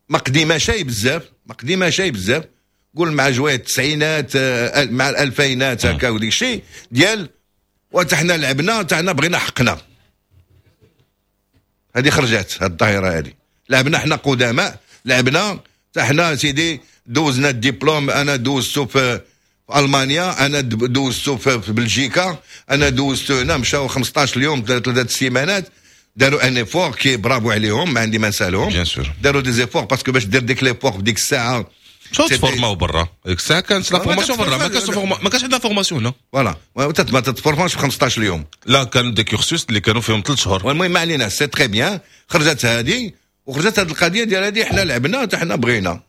ما قديمة شي بزاف، ما قديمة شي بزاف، قول مع جوايا التسعينات مع الالفينات هكا وديك الشيء ديال وتا حنا لعبنا تا حنا بغينا حقنا. هذه خرجت هاد الظاهرة هذه، لعبنا حنا قدماء، لعبنا تا حنا سيدي دوزنا الدبلوم، انا دوزتو في المانيا، انا دوزتو في بلجيكا، انا دوزتو هنا. مشاو 15 يوم 3 سيمانات، داروا un effort qui bravo عليهم، ما عندي ما نسالهم. داروا des efforts parce que باش دير ديك l'effort في ديك الساعة مشاو تفورماو برا. ديك الساعة كانت la formation برا، ما كانش عندنا formation هنا. voilà، ما تتفورماش في 15 يوم. لا كانوا des cursus اللي كانوا فيهم 3 شهور. والمهم ما علينا، c'est très bien. خرجت هذه وخرجت هذه القضية ديال هذه، حنا لعبنا حتى حنا بغينا،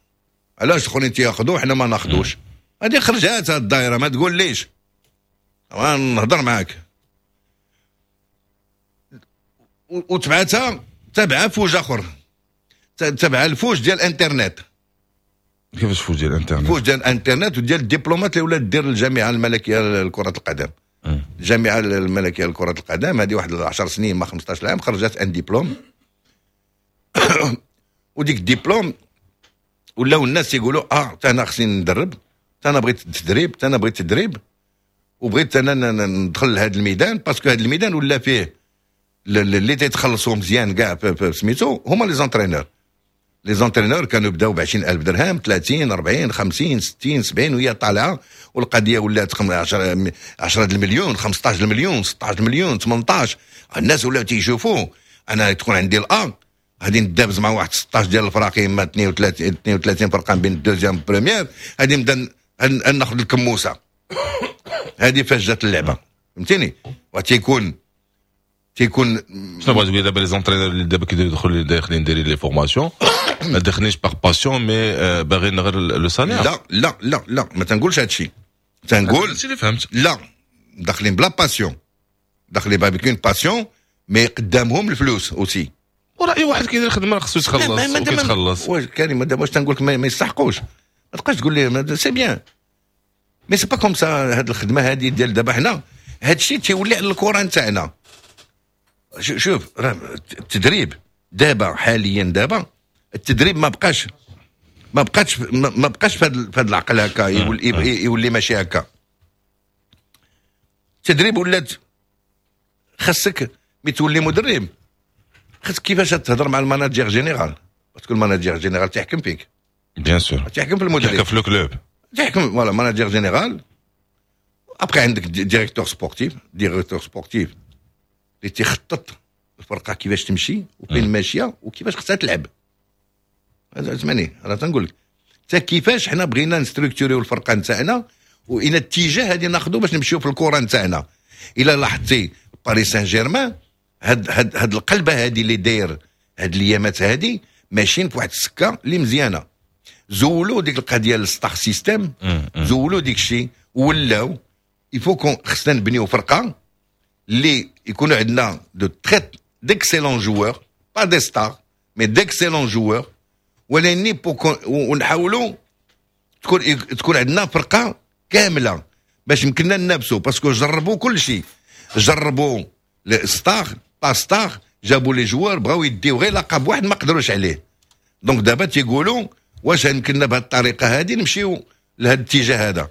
علاش الاخرين تياخذوا حنا ما ناخذوش؟ هذه خرجت هذه الدائرة، ما تقول ليش نهضر معاك. وتبعتها تبع فوج اخر، تبع الفوج ديال الانترنت. كيفاش فوج ديال الانترنت؟ فوج ديال الانترنت وديال الدبلومات اللي ولات دير الجامعة الملكية لكرة القدم. الجامعة الملكية لكرة القدم هذه واحد 10 سنين ما 15 عام خرجت un diplôme. وديك الدبلوم ولاو الناس يقولوا تا انا خصني ندرب، تا انا بغيت التدريب، تا انا بغيت التدريب، وبغيت انا ندخل لهذا الميدان، parce que هذا الميدان ولا فيه اللي تيتخلصوا مزيان كاع سميتو هما les entraîneurs. les entraîneurs كانوا بداو ب 20000 درهم، 30 40 50 60 70 وهي طالعه، والقضية ولات 10 المليون، 15 المليون، 16 المليون، 18. الناس ولاو تيشوفوا انا تكون عندي الان غادي ندابز مع واحد 16 ديال الفراقي، اما 32 فرقه بين ال deuxième première، غادي نبدا ناخذ الكموسه. هذه فاش جات اللعبة، فهمتيني؟ وتيكون تيكون شنو بغيت تقول دابا les entraîneurs اللي دابا كيدخلوا داخلين دايرين les formations ما داخلينش par passion mais باغيين غير le salaire؟ لا لا لا لا، ما تنقولش هادشي، تنقول هادشي اللي فهمت. لا، داخلين ب la passion، داخلين avec une passion، mais قدامهم الفلوس aussi. ورأي واحد كيدير خدمة خصو يتخلص وكيتخلص. واش كريم دابا واش تنقول لك ما يستحقوش؟ ما تبقاش تقول لي c'est bien، mais c'est pas comme ça. هاد الخدمة هادي ديال دابا حنا هادشي تيولي على الكره نتاعنا. شوف راه التدريب دابا حاليا دابا التدريب ما بقاش ما بقاش ما بقاش في هذا العقل هكا، يولي ماشي هكا. التدريب ولات خاصك ملي تولي مدرب خاصك كيفاش تهضر مع ال manager général، parce que ال manager général تيحكم فيك. bien sûr. تيحكم في المدرب. تيحكم في le club. تيحكم، voilà، manager général. après عندك directeur sportif، directeur sportif اللي تيخطط الفرقة كيفاش تمشي وفين ماشية وكيفاش خصها تلعب. هذا اسمعني، انا تنقول لك حتى كيفاش حنا بغينا نستركتوريو الفرقة نتاعنا والى اتجاه هذه ناخذو باش نمشيو في الكره نتاعنا. الا لاحظتي باريس سان جيرمان، هاد القلبه هذه اللي داير هاد الايامات هذه، ماشيين في واحد السكة اللي مزيانه. زولوا ديك القضية ال star system، زولوا ديك الشيء، ولاو il faut qu'on خصنا نبنيو فرقه اللي يكونوا عندنا de très d'excellents joueurs، pas des stars mais d'excellents joueurs، ولكن ونحاولوا تكون عندنا فرقه كاملة باش يمكننا ننافسوا، parce que جربوا كل شيء، جربوا stars، pas stars، جابوا les joueurs، بغاو يديو غير لقب واحد ما قدروش عليه. donc دابا تيقولوا واش يمكننا بهذه الطريقة هذه نمشيو لهذا الاتجاه هذا؟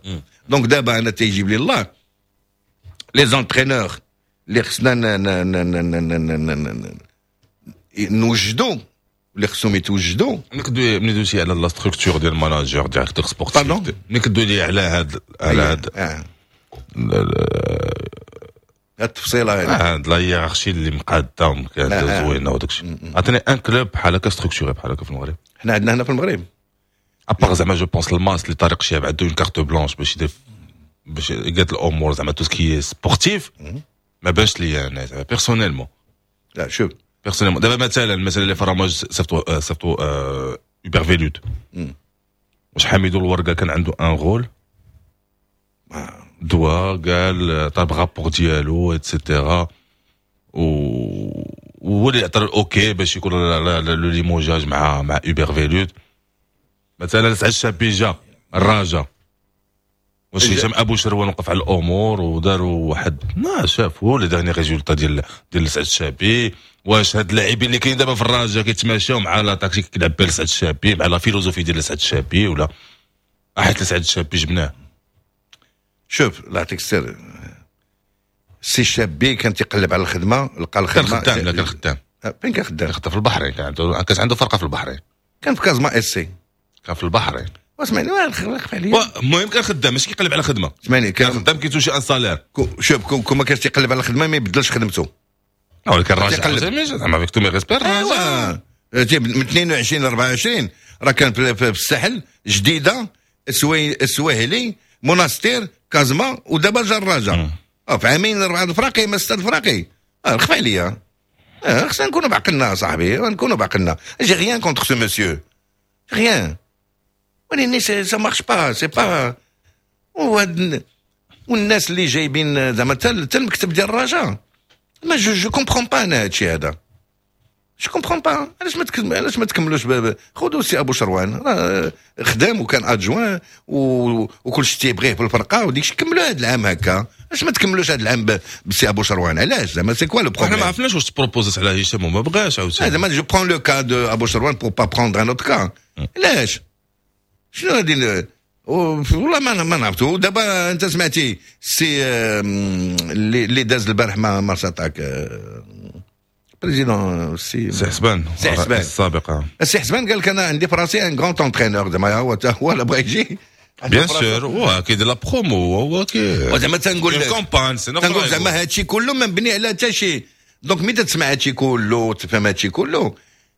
donc دابا انا تيجيب لي الله les entraîneurs اللي خصنا نوجدوا، اللي خصهم يتوجدوا. ملي دويتي على la structure ديال ال manager، directeur sportif، ملي كدوي لي على هاد التفصيله هذه، هاد la hiérarchie اللي مقاده ومقاده زوينة وداك الشيء، عطيني un club بحال هكا structuré بحال هكا في المغرب. حنا عندنا هنا في المغرب؟ à part زعما je pense الماس اللي طارق شهاب عنده une carte blanche باش يدير، باش يقاد الامور، زعما tout ce qui est sportif. ما باش لي انا زعما personnellement. لا شوف. personnellement دابا مثلا les FAR MAJ صيفطوا هوبر فيلود، واش حميدو الورقة كان عنده un rôle؟ دوا قال طاب rapport ديالو et cetera، وهو اللي عطى OK باش يكون le limogeage مع هوبر فيلود. مثلا سعد الشابي جا الراجا، واش هشام ابو شروان وقف على الامور وداروا واحد ما شافوا les derniers résultats ديال سعد الشابي؟ واش هاد اللاعبين اللي كاين دابا في الراجا كيتماشاو مع la tactique كيلعب بها سعد الشابي، مع la philosophie ديال سعد الشابي، ولا حيت سعد الشابي جبناه؟ شوف، الله يعطيك السر، سي الشابي كان تيقلب على الخدمه، لقى الخدمه. كان خدام، لا كان خدام. فين كان خدام؟ كان خدام في البحرين، كانت عنده فرقه في البحرين. كان في كازما اس سي. كان في البحرين. اسمعني، خف عليا. المهم كان خدام، ماشي كيقلب على خدمه. اسمعني. كان خدام، كيتوشي un salaire. شوف، كون ما كانش تيقلب على الخدمة ما يبدلش خدمته. ولكن الراجل زعما avec tous mes respects. ايوا من 22 ل 24 راه كان في الساحل، جديده، السواهلي، موناستير، كازما، ودابا جا الرجاء. في عامين اربعة الفراقي ما ستة الفراقي. خف عليا، خصنا نكونوا بعقلنا صاحبي، نكونوا بعقلنا. j'ai rien contre ce monsieur، rien، ولكن ça marche pas، c'est pas والناس اللي جايبين زعما حتى المكتب ديال الرجاء، ما je comprends pas انا هادشي هذا، je comprends pas. علاش ما تكملوش؟ خذوا سي ابو شروان، خدام وكان adjoint وكل شيء تيبغيه في الفرقة وديك الشيء. كملوا هذا العام هكا، علاش ما تكملوش هذا العام بسي ابو شروان؟ علاش زعما c'est quoi le problème؟ حنا ما عرفناش واش تبروبوزات على هشام وما بغاش عاوتاني. زعما je prends le cas de ابو شروان pour pas prendre un autre cas. علاش؟ شنو هادي؟ والله ما نعرفتو. دابا انت سمعتي سي اللي داز البارح مع Mars Attack، président سي سي حسبان. سي حسبان. السابق. سي حسبان قال لك انا عندي في راسي un grand entraîneur، زعما هو هو لا بغى يجي. bien sûr، هو كيدير la promo، هو كي زعما تنقول campagne. تنقول زعما هادشي كله ما مبني على حتى شي. donc ملي تسمع هادشي كله تفهم هادشي كله،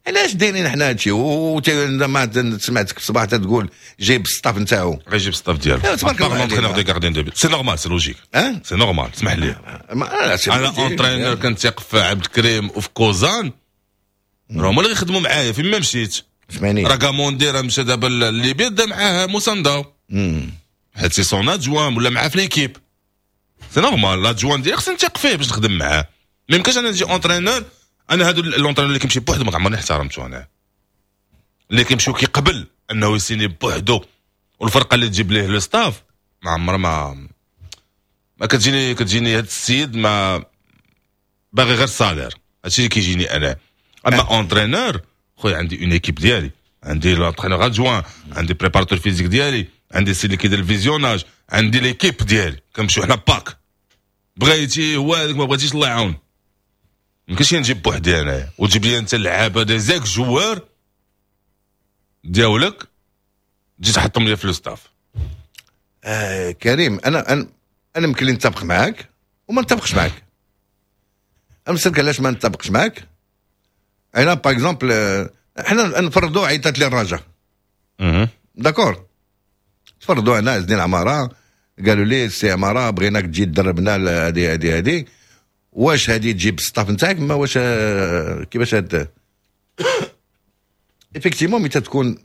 علاش دايرين حنا هادشي؟ ما سمعتك في الصباح تقول جايب staff نتاعو. غيجيب staff ديالو. تبارك الله. l'entraîneur des gardiens de but، c'est normal، c'est logique، c'est normal. اسمح لي، انا entraîneur كنتيق في عبد الكريم وفي كوزان، راه هما اللي يخدموا معايا فين ما مشيت. اسمعني. راه كاموندي راه مشى دابا لليبيا، دا معاه موساندا حيت c'est son adjoint ولا معاه في l'équipe، c'est normal. l'adjoint ديالي خصني نثق فيه باش نخدم معاه. ما يمكنش انا نجي entraîneur. انا هادو l'entraîneur اللي كيمشي بوحدو ما عمرني احترمته انا، اللي كيمشيو كيقبل انه يسيني بوحدو والفرقة اللي تجيب ليه le staff، ما عمر ما كتجيني هاد السيد ما باغي غير salaire. هادشي اللي كيجيني انا. اما entraîneur خويا عندي une équipe ديالي، عندي l'entraîneur adjoint، عندي préparateur physique ديالي، عندي سي اللي كيدير ال visionnage، عندي l'équipe ديالي، كنمشيو حنا pack. بغيتي هو هذاك، ما بغيتيش الله يعاون. ما كاينش نجيب بوحدي انايا وتجيب لي انت اللعابه des ex-joueurs ديالك تجي تحطهم لي في le staff. كريم، انا يمكن لي نتفق معاك وما نتفقش معاك. انا نسالك علاش ما نتفقش معاك. انا par exemple حنا نفرضوا عيطات لي الرجاء، d'accord، تفرضوا انا عز الدين عمارة قالوا لي سي عمارة بغيناك تجي تدربنا هذه هذه هذه، واش هذه تجيب staff نتاعك؟ ما واش كيفاش هاد effectivement ملي تكون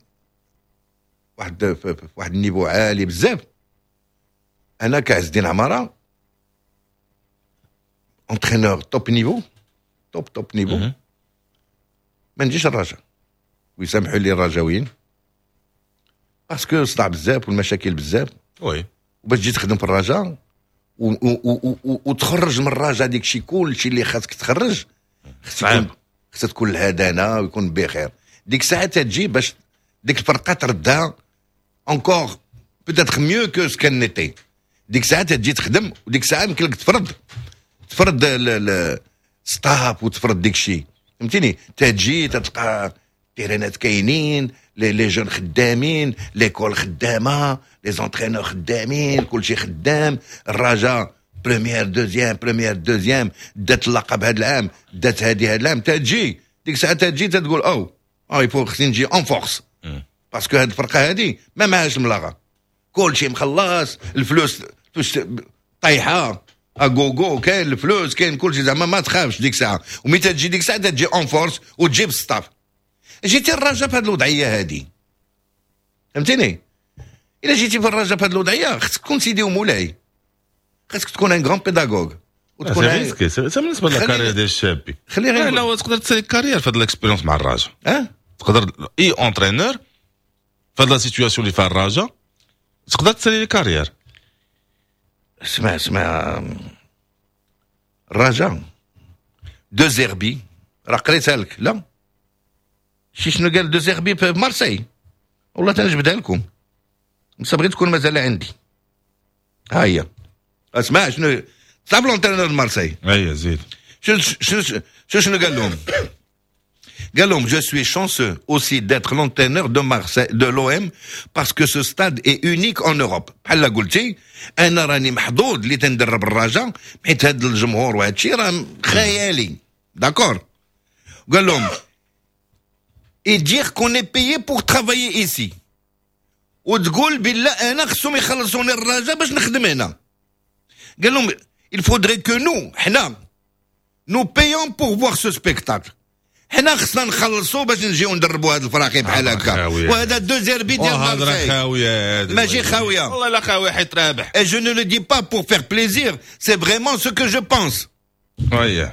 واحد في واحد ال niveau عالي بزاف، انا كعز الدين عمارة entraîneur top niveau، top top niveau، ما نجيش الرجاء، ويسامحوا لي الرجاويين، parce que صداع بزاف والمشاكل بزاف. وباش تجي تخدم في الرجاء وتخرج من الرجاء ديك الشيء كلشي اللي خاصك تخرج، خصك تكون الهدانه ويكون بخير. ديك الساعة تجي باش ديك الفرقة تردها encore peut-être mieux que ce qu'elle n'était. ديك الساعة تجي تخدم، وديك الساعة يمكن لك تفرض staff وتفرض ديك الشيء، فهمتيني؟ تجي تلقى تيرانات كاينين، les jeunes خدامين، l'école خدامه، les entraîneurs خدامين، كلشي خدام. الرجاء première deuxième، première deuxième، دات اللقب هذا العام، دات هذه هذا العام. تجي ديك الساعة تجي تقول او il faut خصني نجي en force، parce que هاد الفرقة هادي ما معهاش الملاغه، كلشي مخلص، الفلوس فلوس طايحة à gogo، كاين الفلوس، كاين كلشي، زعما ما تخافش ديك الساعه. ومي تجي ديك الساعة تجي en force وتجيب staff. جيتي الرجاء في هذه الوضعية هذه، فهمتيني؟ الا جيتي في الرجاء في هذه الوضعية خصك تكون سيدي ومولاي، خصك تكون un grand pédagogue. وتكون c'est risqué، c'est بالنسبة لل carrière ديال الشابي. خلي غير لا، تقدر تسالي carrière في هذه ال expérience مع الرجاء. اه. تقدر اي entraîneur في هذه la situation اللي فيها الرجاء تقدر تسالي carrière. اسمع اسمع، الرجاء دو زيربي راه قريتها لك، لا شي شنو قال دو زيربي في مارسي؟ والله تنجبدها لكم بس بغيت تكون مازال عندي. ها هي، اسمع شنو صاب l'entraîneur مارسي. اي زيد. شنو قال لهم؟ قال لهم je suis chanceux aussi d'être l'entraîneur de Marseille، de l'OM، parce que ce stade est unique en Europe. بحال قلتي انا راني محظوظ اللي تندرب الرجاء حيت هذا الجمهور وهذا الشيء راه خيالي، d'accord. قال لهم et dire qu'on est payé pour travailler ici، وتقول بالله انا خصهم يخلصوني الرجاء باش نخدم هنا. قال لهم il faudrait que nous حنا nous payons pour voir ce spectacle، حنا خصنا نخلصوا باش نجيو ندربوا هاد الفراقي بحال هكا. وهذا دو زيربي ديال مارسي. خاوية. ماشي خاويه. والله لا خاويه، حيت رابح. Et je ne le dis pas pour faire plaisir، c'est vraiment ce que je pense.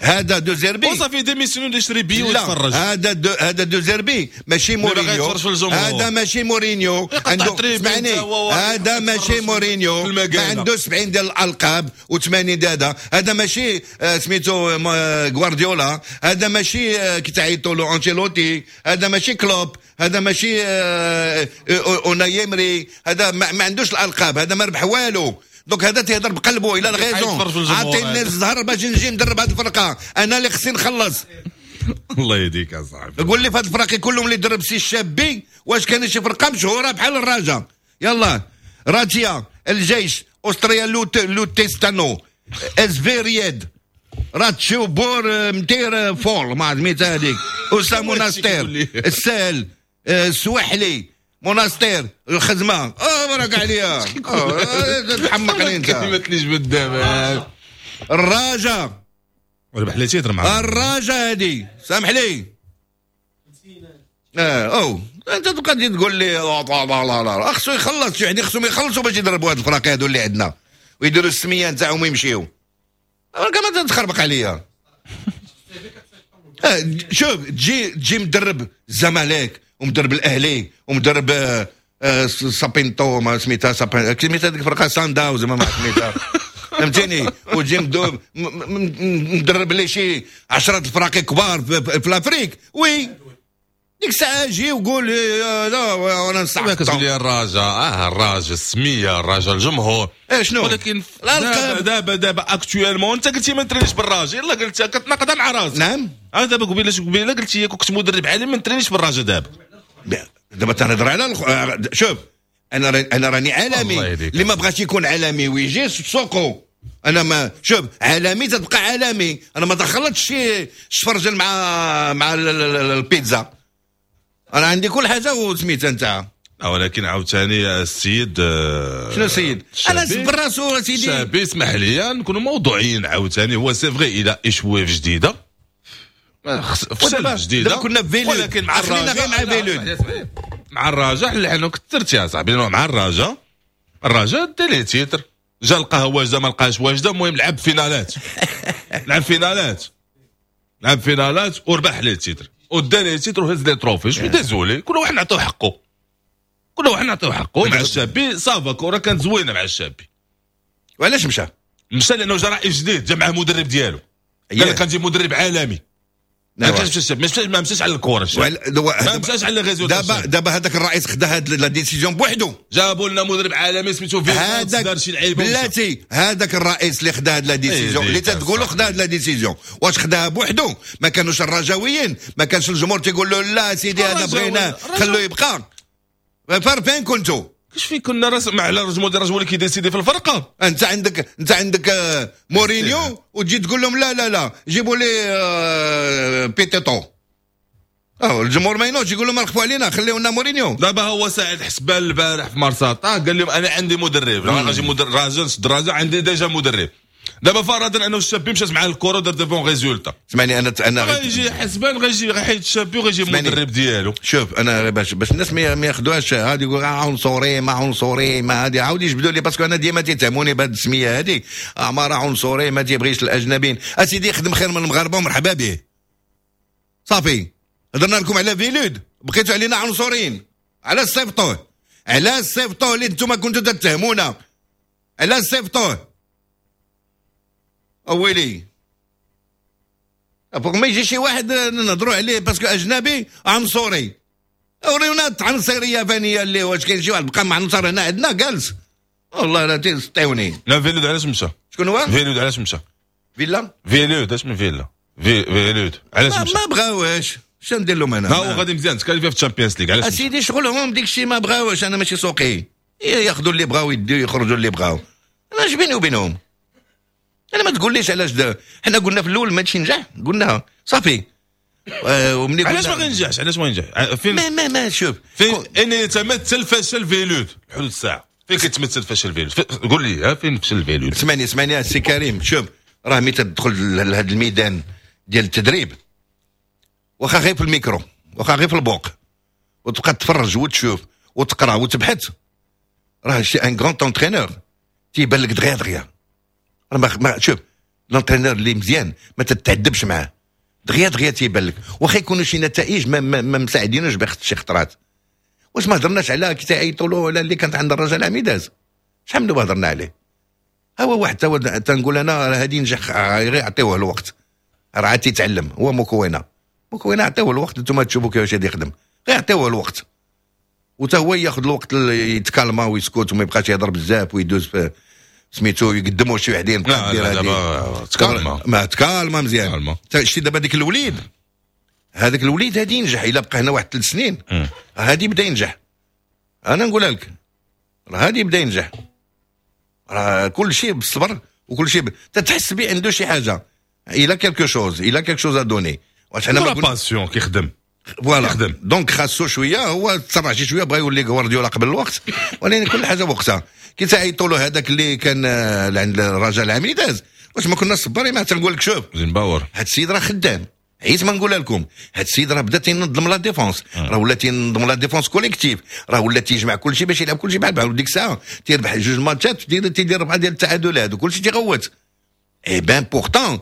هذا دو زيربي وصافي démissionne، يشري بي ويتفرج. هذا دو زيربي ماشي مورينيو، هذا ماشي مورينيو عنده، اسمعني، هذا ماشي مورينيو ما عنده 70 ديال الالقاب و80 ديال هذا. هذا ماشي سميتو غوارديولا، هذا ماشي كي تعيطوا له انشيلوتي، هذا ماشي كلوب، هذا ماشي اوناي ايمري. هذا ما عندوش الالقاب، هذا ما ربح والو. donc هذا تيهضر بقلبه، il a raison. عطيني الزهر باش نجي ندرب هذه الفرقه، انا اللي خصني نخلص. الله يهديك يا صاحبي. قول لي في هذه الفرق كلهم اللي درب سي الشابي واش كان شي فرقه مشهورة بحال الرجاء؟ يلا راتيا، الجيش، اوستريا، لوتيستانو، اس في رياد، راتشو بور متير فول ما سميتها هذيك، اوسا موناستير، السهل، السواحلي، موناستير، الخزمه. بارك عليا، تحمقني انت. كلمة اللي جبد دابا. الرجاء. ربح les titres مع الرجاء هذه، سامح لي. او انت تبقى تجي تقول لي لا لا لا لا، خصو يخلص، يعني خصهم يخلصوا باش يضربوا هاد الفراقي هادو اللي عندنا ويديروا السمية نتاعهم ويمشيو. كما تخربق عليا. شوف تجي مدرب الزمالك ومدرب الاهلي ومدرب سابينتو، ما سميتها سميتها هذيك الفرقة سان داونز ما سميتها، فهمتيني؟ وتجي مدرب لي شي 10 الفراقي كبار في l'Afrique، oui. ديك الساعة جي وقول لا وانا نصح. كتقول لي الرجاء، الرجاء السمية، الرجاء الجمهور، شنو؟ ولكن دابا دابا actuellement انت قلتي ما نترينيش بالرجاء، يلاه قلتها كتناقضها مع راسك. نعم. دابا قبيلة قلتي كنت مدرب عالمي ما نترينيش بالرجاء. دابا دابا تنهضر على شوف انا راني عالمي، اللي ما بغاش يكون عالمي ويجي سوقو. انا ما شوف عالمي تتبقى عالمي، انا ما دخلتش شي شفرجل مع البيتزا، انا عندي كل حاجة وسميتها انت. ولكن عاوتاني السيد شنو السيد؟ انا سبر راسو سيدي شابي، اسمح لي نكونوا موضوعيين عاوتاني. هو c'est vrai الى échoué في جديدة، فشل في جديدة، كنا في فيلود، ولكن مع الرجاء غير مع فيلود، مع الرجاء لانه كثرت يا صاحبي. مع الرجاء دا les titres، جا لقاها واجدة ما لقاهاش واجدة، المهم لعب فينالات لعب فينالات وربح les titres ودا les titres وهز les trophées. je suis désolé، كل واحد نعطيو حقه، كل واحد نعطيو حقه. مع الشابي ça va كره كانت زوينة مع الشابي. وعلاش مشى؟ مشى لانه جا رئيس جديد، جا معاه مدرب ديالو، قال لك كنجيب مدرب عالمي. ما مشاش ما مشاش على الكره، ما مشاش على les résultats. دابا هذاك الرئيس خدا هاد la décision بوحدو، جابوا لنا مدرب عالمي سميتو فيلود، دار شي لعيبة بلاتي. هذاك الرئيس اللي خدا هاد la décision اللي تتقولوا خدا هاد la décision، واش خداها بوحدو؟ ما كانوش الرجاويين، ما كانش الجمهور تيقول له لا سيدي هذا بغيناه خلوه يبقى. فين كنتو؟ كاش فين كنا؟ راس مع الرجل ديال الرجل اللي كي décider في الفرقة. انت عندك مورينيو وتجي تقول لهم لا لا لا جيبوا لي بيتيتو. الجمهور ما ينوضش يقول لهم رخفوا علينا خليونا مورينيو. دابا هو سعيد حسبان البارح في مارساطا قال لهم انا عندي مدرب، غنجي مدرب راجل نشد الرجاء، عندي déjà مدرب. دابا فرضا انه الشابي مشات مع الكره ودار des bons résultats. اسمعني انا غيجي حسبان، غيجي غيحيد الشابي وغيجي المدرب ديالو. شوف انا باش الناس ما ياخذوهاش هادي يقول عنصري ما عنصري ما هادي، عاود يجبدوا لي parce que انا ديما تيتهموني بهاد السمية هادي، عمارة عنصري ما تيبغيش الاجنبيين. اسيدي خدم خير من المغاربة ومرحبا به. صافي هضرنا لكم على فيلود، بقيتوا علينا عنصريين. على صيفطوه، على صيفطوه اللي انتم كنتوا تتهمونا، على صيفطوه. اويلي فوق ما يجي شي واحد نهضروا عليه parce que اجنبي عنصري، وريونا العنصرية فانيه اللي واش كاين شي واحد بقى مع عنصر هنا عندنا جالس والله لا تيسطيوني. لا فيلود علاش مشى؟ شكون هو؟ فيلود علاش مشى؟ فيلا؟ فيلود اش من فيلا؟ فيلود علاش مشى؟ ما بغاوش، شنو ندير لهم انا؟ ها هو غادي مزيان ت qualifié في ال Champions League. علاش اسيدي شغلهم ديك الشيء ما بغاوش، انا ماشي سوقي، ياخذوا اللي بغاو يديو يخرجوا اللي بغاو، انا اش بيني وبينهم؟ انا ما تقوليش علاش حنا قلنا في الاول ماشي نجح، قلنا صافي. ومني علاش ما غينجحش؟ علاش ما ينجح؟ فين ما ما شوف فين ان يتمثل فشل فيلود حدود الساعة، فين كيتمثل فشل فيلود؟ قول لي فين فشل فيلود؟ اسمعني السي كريم، شوف راه ملي تدخل لهذا الميدان ديال التدريب واخا غير في الميكرو واخا غير في البوق وتبقى تتفرج وتشوف وتقرا وتبحث، راه شي un grand entraîneur تيبان لك دغيا دغيا. راه ما شوف l'entraîneur اللي مزيان ما تتعذبش معاه، دغيا دغيا تيبان لك، واخا يكونوا شي نتائج ما مساعدينوش بخت شي خطرات. واش ما هضرناش على كي تعيطوا له ولا اللي كانت عند الرجاء العميداز، شحال من هضرنا عليه؟ ها هو واحد تنقول انا راه هادي نجح غير يعطيوه الوقت، راه عاد تيتعلم. هو مكونة عطيوه الوقت، انتم تشوفوا كيفاش غادي يخدم، غير عطيوه الوقت وتا هو ياخذ الوقت يتكالما ويسكت وما يبقاش يهضر بزاف ويدوز في سميتو يقدموا شي وحدين. لا لا دابا تكالما، ما تكالما مزيان. شتي دابا ديك الوليد، هذاك الوليد هادي ينجح الا بقى هنا واحد 3 سنين، هادي بدا ينجح. انا نقولها لك راه هادي بدا ينجح، راه كل شيء بالصبر وكل شيء تتحس به عنده شي حاجة، il a quelque chose، il a quelque chose à donner. واش حنا ما passion كيخدم voilà، donc خاصو شوية، هو تسرع شي شوية بغا يولي غوارديولا قبل الوقت، ولكن كل حاجة بوقتها. كي تعيطوا له هذاك اللي كان عند الرجاء العميداز، واش ما كنا صبارين؟ ما تنقول لك شوف زينباور هاد السيد راه خدام، عييت ما نقولها لكم، هاد السيد راه بدا تينظم la défense، راه ولا تينظم la défense collective، راه ولا تيجمع كل شيء باش يلعب كل شيء بحال بحال. وديك الساعة تيربح 2 ماتشات، تيدير 4 ديال التعادلات وكل شيء تيغوت. eh ben pourtant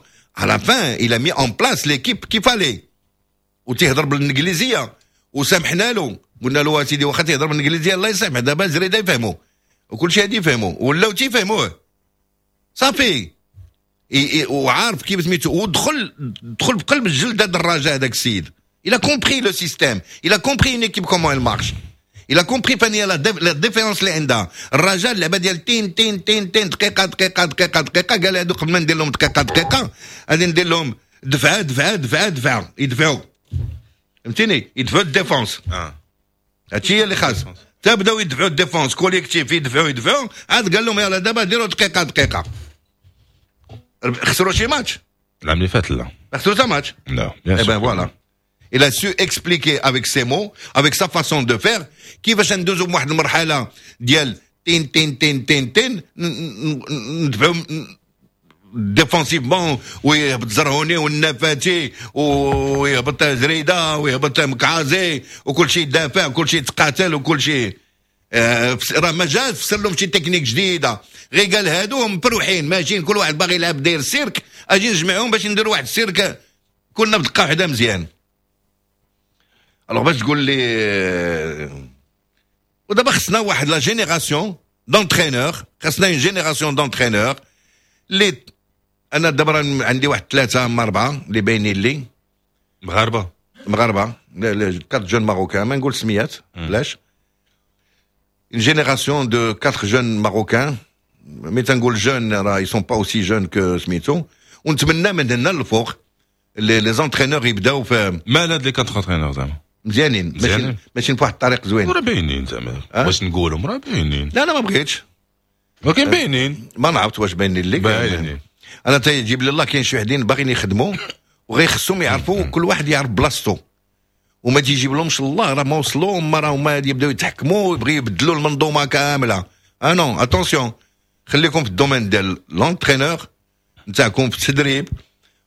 à la fin il a mis en place l'équipe qu'il fallait، وتيهضر بالانجليزية وسامحنا له، قلنا له اسيدي واخا تيهضر بالانجليزية الله يسامح، دابا الزريده يفهموا وكل شيء هادي يفهموا ولاو تيفهموه صافي، وعارف كيف سميتو، ودخل دخل بقلب الجلد هذا الرجاء هذاك السيد. Il a compris le système. Il a compris une équipe comment elle marche. Il a compris فين هي la différence اللي عندها. الرجاء اللعبة ديال تين تين تين تين، دقيقة دقيقة دقيقة دقيقه، قال هادو قبل ما ندير لهم دقيقة دقيقة غادي ندير لهم دفعه دفعه دفعه دفعه، يدفعوا، فهمتيني، يدفعوا ال défense. هادشي هي اللي خاص، تبداو يدفعوا ال défense collectif، يدفعوا يدفعوا، عاد قال لهم يلا دابا ديروا دقيقة دقيقه. خسروا شي ماتش العام اللي فات؟ لا. خسروا تا ماتش. لا. Eh ben voilà. Il a su expliquer avec ses mots, avec sa façon de faire، كيفاش ندوزو بواحد المرحلة ديال تين تين تين تين تين، ندفعوا défensivement، ويهبط زرهوني والنفاتي ويهبط زريده ويهبط مكعازي، وكل شيء يدافع وكل شيء يتقاتل وكل شيء. راه ما جاش فسر لهم شي تكنيك جديده، غير قال هادو مفروحين ماشيين، كل واحد باغي يلعب داير سيرك، اجي نجمعهم باش نديروا واحد السيرك كلنا بدقة واحدة مزيان. alors باش تقول لي ودابا خصنا واحد la génération d'entraîneurs، خصنا une génération d'entraîneurs اللي انا دابا عندي واحد ثلاثة اما اربعة اللي باينين لي. مغاربه؟ مغاربه، quatre jeunes marocains، ما نقول سميات علاش، une génération de quatre jeunes marocains، mais تنقول jeunes راه ils sont pas aussi jeunes que سميتو، ونتمنى من هنا للفوق les entraîneurs يبداو في مال هاد les quatre entraîneurs زعما؟ مزيانين، ماشيين ماشيين في واحد الطريق زوين. راه باينين زعما، واش نقولهم راه باينين؟ لا لا ما بغيتش. ولكن باينين. ما نعرفت واش باينين لك. باينين. انا تيجيب لي الله كاين شي وحدين باغيين يخدموا وغير خصهم يعرفوا كل واحد يعرف بلاصتو، وما تيجيب لهمش الله راه ما وصلوا، هما راه هما يبداو يتحكموا ويبغيو يبدلوا المنظومة كامله. ah non، attention، خليكم في ال domaine ديال l'entraîneur نتاعكم في التدريب،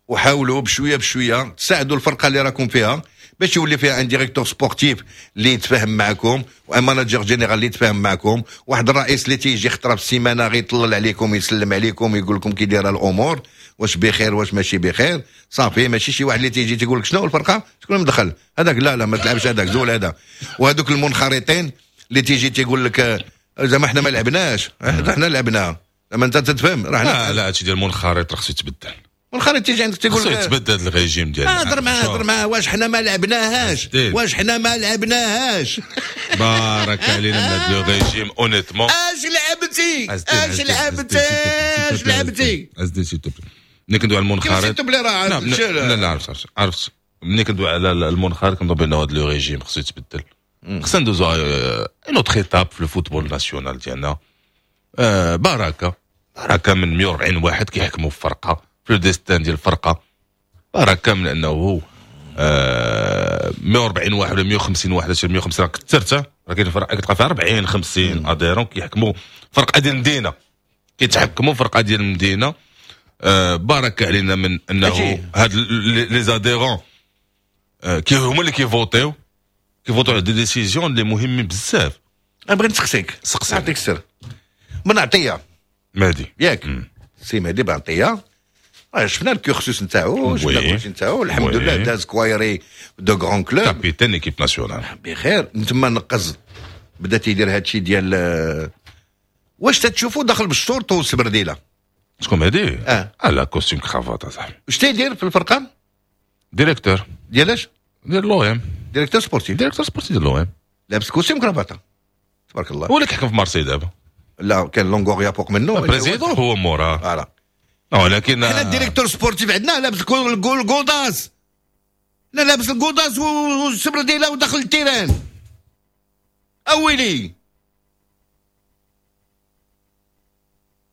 وحاولوا بشوية بشوية تساعدوا الفرقة اللي راكم فيها باش يولي فيها un directeur sportif اللي يتفاهم معكم، و un manager général اللي يتفاهم معكم، واحد الرئيس اللي تيجي خطره في السيمانة غيطلل عليكم، يسلم عليكم، يقول لكم كي دايرة الامور، واش بخير واش ماشي بخير، صافي. ماشي شي واحد اللي تيجي تيقول لك شنو الفرقة، شكون مدخل هذاك، لا لا ما تلعبش هذاك، زول هذا. وهذوك المنخرطين اللي تيجي تيقول لك زعما حنا ما لعبناش، حنا لعبنا، زعما انت تتفهم راه. لا لا، هادشي ديال المنخرط راه خصو يتبدل. منخرط تيجي عندك تيقول خصو يتبدل هذا الريجيم ديال هضر معاه، هضر معاه، واش حنا ما لعبناهاش، واش حنا ما لعبناهاش. بارك علينا من هذا le régime honnêtement. اش لعبتي، اش لعبتي، اش لعبتي؟ ازدي s'il te plaît، ملي كندوي على المنخرط لا لا عرفت عرفت، ملي كندوي على المنخرط كنظن بان هذا le régime خصو يتبدل، خصنا ندوزو une autre étape في ال football national ديالنا. بركة بركة من 140 واحد كيحكموا في فرقه، في le destin ديال الفرقه، بركة من انه 140 واحد ولا 150 واحد، 150 راه كثرت، راه كاين فرق كتلقى فيها 40 50 adhérents كيحكموا فرقه ديال المدينه، كيتحكموا فرقه ديال المدينه. بارك علينا من انه هاد les adhérents كي هما اللي كيفوتيو على des décisions اللي مهمين بزاف. انا بغيت نسقسيك. سقسي. نعطيك السر بن عطية مهدي. ياك سي مهدي بن عطية، شفنا ال cursus نتاعو، شفنا كلشي نتاعو، الحمد لله داز كوايري de grands clubs، capitaine équipe nationale. بخير. تما نقز بدا تيدير هادشي ديال واش تتشوفوا داخل بالشورت والسبرديله. شكون مهدي؟ لا costume cravate اصاحبي. واش تيدير في الفرقة؟ directeur. ديال اش؟ ديال l'OM. directeur sportif. directeur sportif ديال l'OM. لابس costume cravate تبارك الله. هو اللي كيحكم في مارسي دابا. لا كان لونغوريا فوق منه. président هو موراه. voilà. ولكن حنا ال directeur sportif عندنا لابس ال godasses، لا لابس ال godasses والسبرديله وداخل ال terrain. اويلي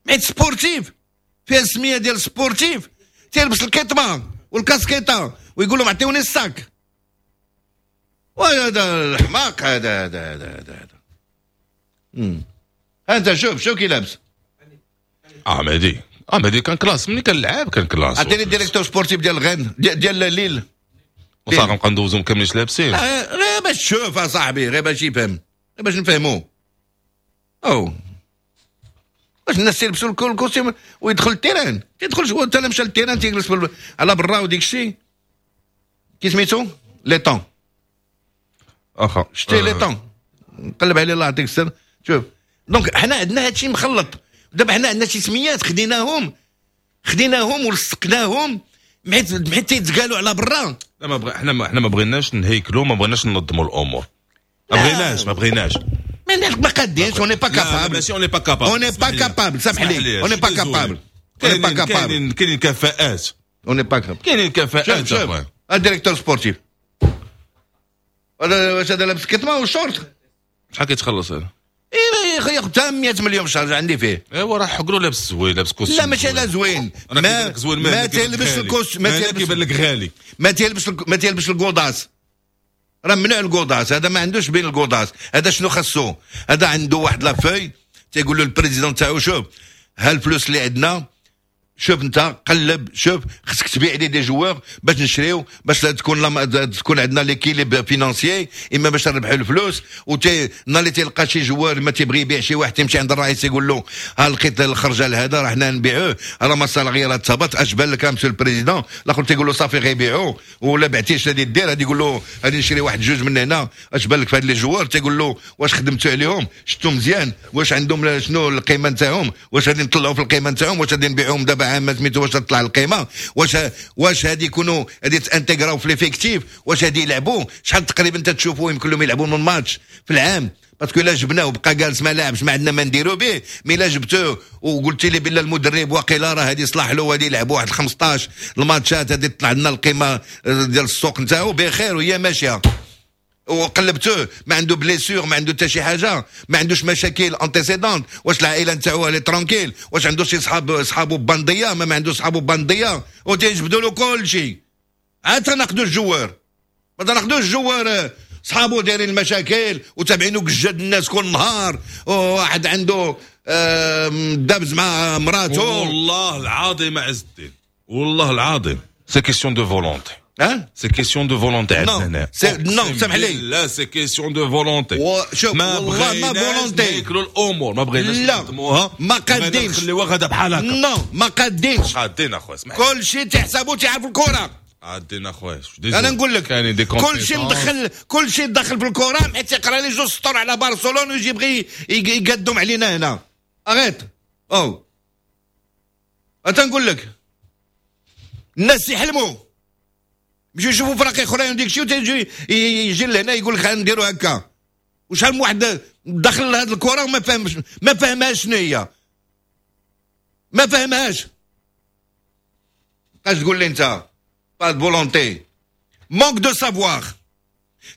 حيت sportif فيها السمية ديال sportif تيلبس الكيطمه والكاسكيطه ويقول لهم عطيوني ال sac. وهذا الحماق هذا هذا هذا هذا. انت شوف شوف كي لابس. مهدي مهدي كان classe ملي كان لعاب كان classe. عطيني ال directeur sportif ديال غين ديال ليل. وصافي نبقى ندوزهم كاملين لابسين. غير باش تشوف اصاحبي، غير باش يفهم، غير باش نفهمو. او باش الناس يلبسوا ال costume ويدخل ال terrain، تيدخل هو حتى مشى لل terrain تيجلس على برا وديك الشيء. كي سميتو ليطون. اخا شتي ليطون نقلب عليه الله يعطيك السر. شوف donc حنا عندنا هادشي مخلط. دابا حنا عندنا شي سميات خديناهم ولصقناهم حيت تيتقالوا على برا. لا ما بغ... احنا ما بغيناش نهيكلوا، ما بغيناش ننظموا الامور، ما بغيناش ما قادينش، on n'est pas capable. ماشي on n'est pas capable، on n'est pas capable، سامح لي، on n'est pas capable، كاينين كفاءات، on n'est pas capable، كاينين كفاءات. شوف ال directeur sportif هذا، واش هذا لابس كتمه وشورت؟ شحال كيتخلص هذا؟ ايه ياخذ حتى 100 مليون في الشهر عندي فيه. ايوا راه حقرو لابس زوين، لابس costume. لا ماشي لا زوين، ما تلبس ال costume، ما كيبان لك غالي، ما تلبس ال godasses، راه ممنوع ال godasses، هذا ما عندوش بين ال godasses. هذا شنو خاصو؟ هذا عنده واحد la feuille تيقول له ال président تاعو شوف ها الفلوس اللي عندنا، شوف انت قلب، شوف خصك تبيع لي des joueurs باش نشريو، باش تكون عندنا l'équilibre financier، اما باش نربحوا الفلوس. وتي نهار اللي تلقى شي joueur ما تيبغي يبيع شي واحد، تيمشي عند الرئيس يقول له ها لقيت الخرجه لهذا، راه حنا نبيعوه، راه ما ال salaire تهبط، اش بان لك monsieur ال président؟ الاخر تيقول له صافي غيبيعوه، ولا بعتيش غادي دير، غادي يقول له غادي نشري واحد جوج من هنا، اش بان لك في هاد les joueurs؟ تيقول له واش خدمتوا عليهم؟ شفتوا مزيان؟ واش عندهم شنو القيمة نتاعهم؟ واش غادي نطلعوا في القيمة نتاعهم؟ واش غادي نبيعوهم دابا عام سميتو واش تطلع القيمة؟ واش هادي يكونوا غادي تانتيغراو في l'effectif؟ واش غادي يلعبوا؟ شحال تقريبا تشوفوا يمكن لهم يلعبوا من ماتش في العام؟ parce que الا جبناه وبقى جالس ما لعبش ما عندنا ما نديرو به. mais الا جبتوه وقلت لي بالله المدرب واقيلا راه هادي يصلح له وغادي يلعب واحد 15 الماتشات، غادي تطلع لنا القيمة ديال السوق نتاعو بخير وهي ماشية. وقلبتوه ما عنده blessure، ما عنده حتى شي حاجة، ما عندوش مشاكل antécédents، واش العائلة نتاعو elle est tranquille، واش عنده شي صحابو bandits، ما عندوش صحابو bandits، وتيجبدوا له كل شيء. عاد تناخذوا ال joueur، ما تناخذوش ال joueur صحابو دايرين المشاكل وتابعينو قجاد الناس كل نهار، وواحد عنده دابز مع مراته. والله العظيم عز الدين، والله العظيم c'est question de volonté. ها c'est question de volonté عندنا. non سامح لي، لا c'est question de volonté. شوف والله ما volonté ناكلوا الامور، ما بغيناش نخدموها، ما قادينش نخليوها غادا بحال هكا. non ما قادينش، قادين اخويا، اسمح، كل شيء تحسبو تعرف الكره، قادين اخويا. انا نقول لك كل شيء مدخل، كل شيء دخل في الكره، حيت يقرا لي جوج سطور على برشلونة ويجي يبغي يقدم علينا هنا. arrête او تنقول لك الناس يحلموا، يمشيو يشوفوا فرق اخرين وديك الشيء، وتيجي يجي لهنا يقول لك غنديروا هكا. وشحال من واحد دخل لهاد الكره وما فهمش، ما فهمهاش شنو هي، ما فهمهاش. اش تقول لي انت؟ pas de volonté، manque de savoir،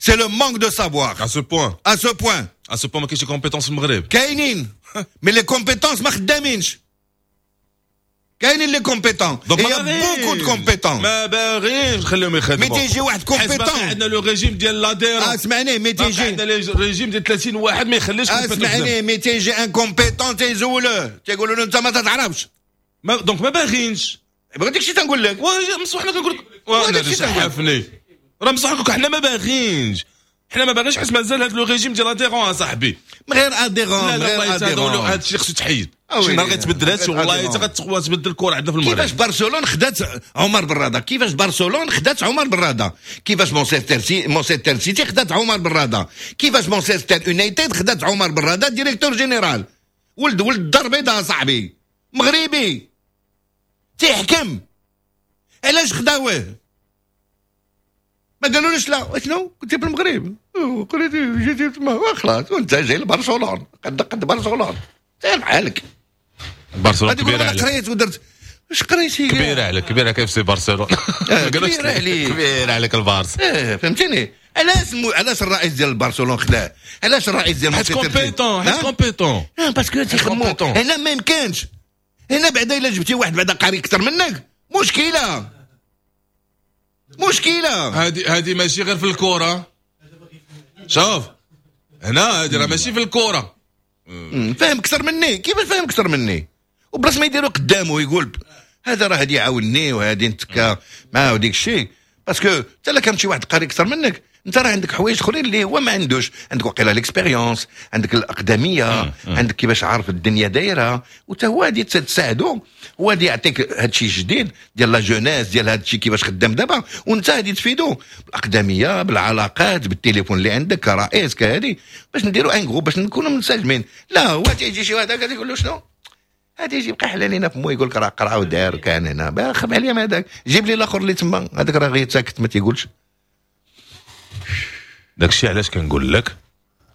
c'est le manque de savoir. à ce point، à ce point، à ce point ما كاينش compétences في المغرب. كاينين mais les compétences ما خدامينش. كاينين les compétents، il y a beaucoup de compétents، ما باغينش نخليهم يخدموا. mais تيجي واحد compétent، عندنا le régime ديال l'adhérent. اسمعني، mais تيجي عندنا le régime ديال 30 واحد ما يخليش. اسمعني، mais تيجي un compétent تيزولوه، تيقولوا له انت ما تتعرفش، donc ما باغينش. بغيت داكشي تنقول لك، مصح حنا كنقول لك وانا راه مصح حنا ما باغينش، حنا ما باغينش حيت مازال هذا le régime ديال adhérent اصاحبي. غير adhérent، غير adhérent، هذا الشيء خصو يتحيد. شي نهار غيتبدل هادشي والله حتى غتبدل الكره عندنا في المغرب. كيفاش برشلونة خدات عمر براده؟ كيفاش برشلونة خدات عمر براده؟ كيفاش مانشستر سيتي خدات عمر براده؟ كيفاش مانشستر يونايتد خدات عمر براده directeur général؟ ولد الدار البيضاء صاحبي، مغربي تيحكم، علاش خداوه؟ ما قالولوش لا شنو كنت في المغرب قريتي جيتي تما خلاص وانت جاي لبرشلونة قد برشلونة سير بحالك. برشلونة كبيرة عليك. قريت ودرت واش قريتي؟ كبيرة عليك، كبيرة كيف سي برشلونة، كبيرة عليك، كبيرة عليك البارسا. فهمتيني؟ علاش الرئيس ديال برشلونة خداه؟ علاش الرئيس ديال حيت compétent، حيت compétent، parce que تيخدموا هنا ما يمكنش. هنا بعدا الا جبتي واحد بعدا قاري اكثر منك مشكلة، مشكلة. هذه ماشي غير في الكره، شوف هنا هذه راه ماشي في الكره. فاهم اكثر مني، كيفاش فاهم اكثر مني؟ وبلاص ما يديروا قدامه يقول هذا راه هادي يعاونني وهادي نتكا معاه وديك الشيء، parce que حتى لا كان شي واحد قاري اكثر منك انت راه عندك حوايج اخرين اللي هو ما عندوش، عندك وقيله l'expérience، عندك الاقدميه، عندك كيفاش عارف الدنيا دايرة، وتا هو غادي تساعدو، هو غادي يعطيك هادشي الجديد ديال la jeunesse ديال هادشي كيفاش خدام دابا، وانت غادي تفيدو بالاقدميه، بالعلاقات، بالتليفون اللي عندك كرئيس كهادي، باش نديرو un groupe باش نكونوا منسجمين. لا هو تيجي شي واحد هكا تيقول له شنو هادي، يجي يبقى حلال لينا فمو يقول لك راه قرا ودار كان هنا، خف عليا من هذاك، جيب لي الاخر اللي تما، هذاك راه غير ساكت ما تيقولش. داكشي علاش كنقول لك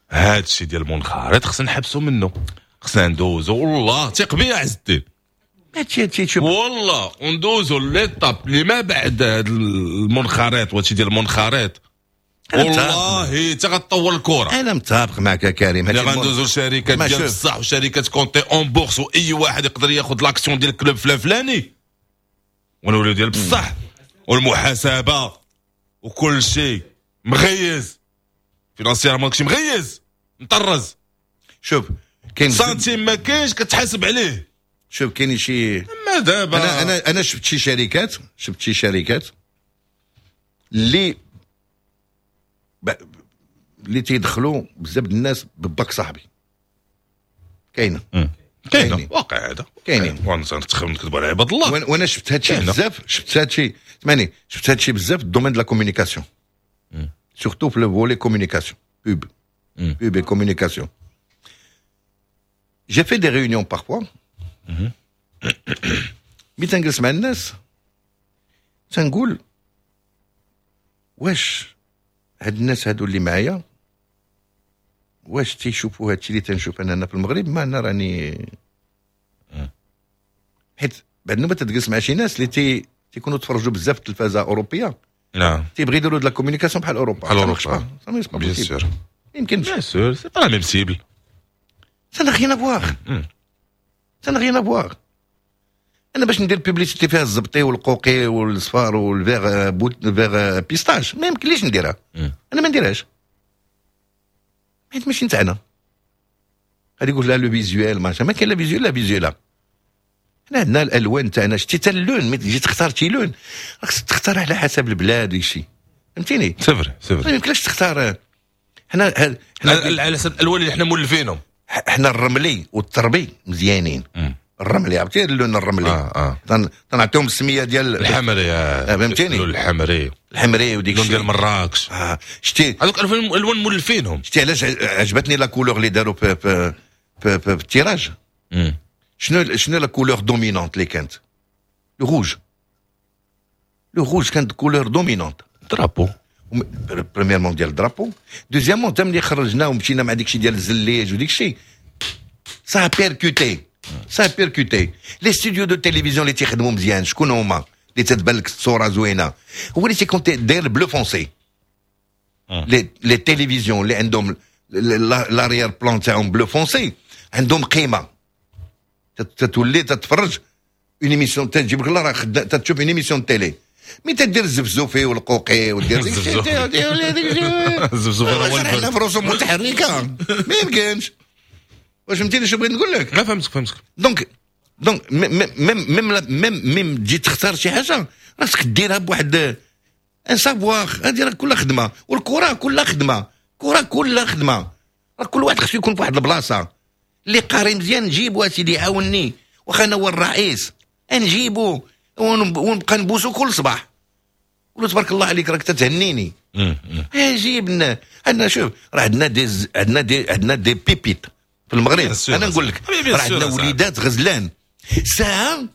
هذا الشيء ديال المنخرط خصنا نحبسوا منه، خصنا ندوزو. والله ثق بيا عز الدين، هادشي والله وندوزو l'étape اللي ما بعد هذا المنخرط وهادشي ديال المنخرط، والله حتى غتطور الكره. انا متفق معك يا كريم. اللي غندوزو لشركات ديال بصح وشركات cotées en bourse، واي واحد يقدر ياخذ l'action ديال ال club فلان فلاني، ونوليو ديال بصح والمحاسبه وكل شيء مغيز financièrement، داكشي مغيز مطرز. شوف كاين سنتيم ما كاينش كتحاسب عليه. شوف كاين شي ما دابا انا شفت شي شركات، اللي تيدخلوا بزاف الناس بباك صاحبي. كاينه واقع هذا، كاينين. نكذبوا على عباد الله. وانا شفت هادشي بزاف، شفت هادشي سمعني، شفت هادشي بزاف ال domaine de la communication، surtout في le volet communication pub pub communication. J'ai fait des réunions parfois. ملي تنجلس مع الناس تنقول واش هاد الناس هادو اللي معايا واش تيشوفوا هادشي اللي تنشوف انا هنا في المغرب؟ ما انا راني حيت بعد نوبه تجلس مع شي ناس اللي تيكونوا تفرجوا بزاف التلفازه اوروبية، نعم، تيبغي يديروا de la communication بحال اوروبا، بحال اوروبا. bien sûr يمكن bien sûr c'est pas la même cible. Ça n'a rien à voir. Ça n'a rien à voir. انا باش ندير publicité فيها الزبطي والقوقي والصفار وال vert بوت vert pistache ما يمكنليش نديرها. انا ما نديرهاش حيت ماشي نتاعنا. غادي يقول لا le visuel ما كاين لا visuel لا visuel. حنا عندنا الالوان تاعنا. شتي حتى اللون ملي تجي تختار شي لون راك تختار على حسب البلاد وداكشي، فهمتيني؟ c'est vrai c'est vrai. ما يمكنلكش تختار. حنا على حسب الالوان اللي حنا مولفينهم. حنا الرملي والتربي مزيانين. الرملي عرفتي اللون الرملي. تنعطيهم السمية ديال الحمري، فهمتيني؟ اللون الحمري، الحمري وديك الشيء ديال مراكش. شتي هذوك الالوان مولفينهم. شتي علاش عجبتني la couleur اللي داروا في في في, في ال tirage. شنو la couleur dominante اللي كانت؟ le rouge. le rouge كانت couleur dominante. drapeau premièrement ديال ال drapeau، deuxièmement تا ملي خرجنا ومشينا مع داكشي ديال الزليج وديك الشيء ça percutait، ça percutait. les studios de télévision اللي تيخدموا مزيان شكون هما اللي تتبان لك الصورة زوينة؟ هو اللي تيكون داير bleu foncé. les télévisions اللي عندهم l'arrière-plan تاعهم bleu foncé عندهم قيمة. تتولي تتفرج une émission تجيب لك الله راه تتشوف une émission télé. mais تدير الزفزوفي والقوقي ودير ديك الشيء الزفزوفي راه في رسوم متحركة ما يمكنش. واش فهمتيني شنو بغيت نقول لك؟ لا فهمتك. donc donc même même même تجي تختار شي حاجة راسك ديرها بواحد un savoir. هذه راه كلها خدمة، والكره كلها خدمة، الكره كلها خدمة. راه كل واحد خصو يكون في واحد البلاصة. اللي قاري مزيان نجيبو اسيدي عاوني، واخا انا هو الرئيس نجيبو ونبقى نبوسو كل صباح. قولوا تبارك الله عليك راك تتهنيني. جيبنا عندنا، شوف راه عندنا des عندنا des pépites في المغرب. انا نقول لك راه عندنا وليدات غزلان ساعة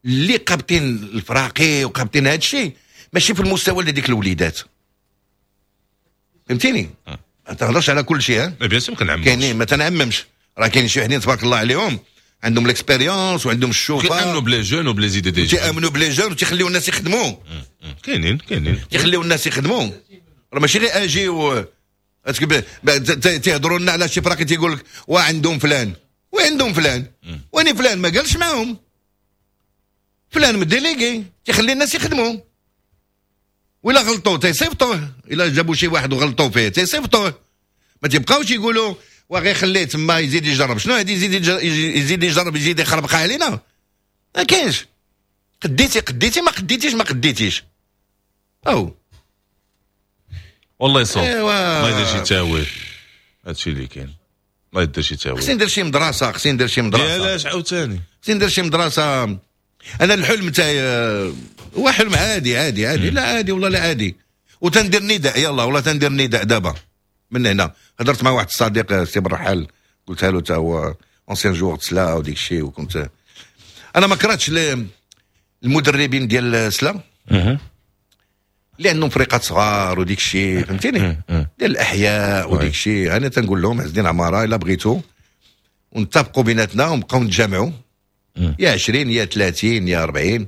اللي قابطين الفراقي وقابطين هذا الشيء ماشي في المستوى ديال ديك الوليدات، فهمتيني؟ ما تهضرش على كل شيء. ها bien sûr ما كنعممش، كاينين ما تنعممش. راه كاين شي وحدين تبارك الله عليهم عندهم l'expérience وعندهم الشوفه، كيامنوا ب les jeunes وب les idées des jeunes، تيامنوا ب les jeunes وتيخليو الناس يخدموا. كاينين تيخليو الناس يخدموا. راه ماشي غير اجي و تيهضروا لنا على شي فراقي تيقول لك وعندهم فلان وعندهم فلان واني فلان ما قالش معاهم، فلان م délégué تيخلي الناس يخدموا. ولا غلطوا تيصيفطوه، الا جابوا شي واحد وغلطوا فيه تيصيفطوه، ما تيبقاوش يقولوا وغير خليه تما يزيد يجرب. شنو هادي يزيد يجرب يزيد يخربق علينا؟ ما كاينش. قديتي قديتي، ما قديتيش ما قديتيش. او والله يصوب. إيوا. ما يدير شي تاويل، هادشي اللي كاين. ما يدير شي تاويل. خصني ندير شي مدرسه، خصني ندير شي مدرسه. علاش عاوتاني؟ خصني ندير شي مدرسه. انا الحلم تاعي هو حلم عادي عادي عادي، لا عادي والله لا عادي. وتندير نداء، يلا والله تندير نداء دابا من هنا. هضرت مع واحد الصديق سي بالرحال، قلتها له تا هو ancien joueur سلا وديك الشيء، وكنت انا ما كرهتش المدربين ديال سلا اللي عندهم فريقات صغار وديك الشيء، فهمتيني، ديال الاحياء وديك الشيء. انا تنقول لهم عز الدين عمارة الا بغيتو ونتفقوا بيناتنا ونبقاو نتجامعوا يا 20 يا 30 يا 40،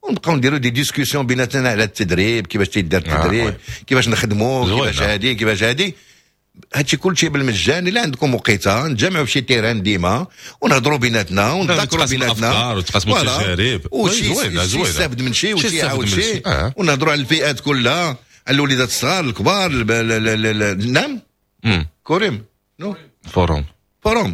ونبقاو نديروا des discussions بيناتنا على التدريب، كيفاش تيدار التدريب، كيفاش نخدموا، كيفاش هادي كيفاش هادي، هادشي كلشي بالمجان. الا عندكم وقيته نتجمعوا في شي terrain ديما ونهضروا بيناتنا ونتذاكروا بيناتنا وتقاسموا التجارب، وشي يستافد من شي وشي يعاود شي، ونهضروا على الفئات كلها، على الوليدات الصغار الكبار. نعم كريم non forum forum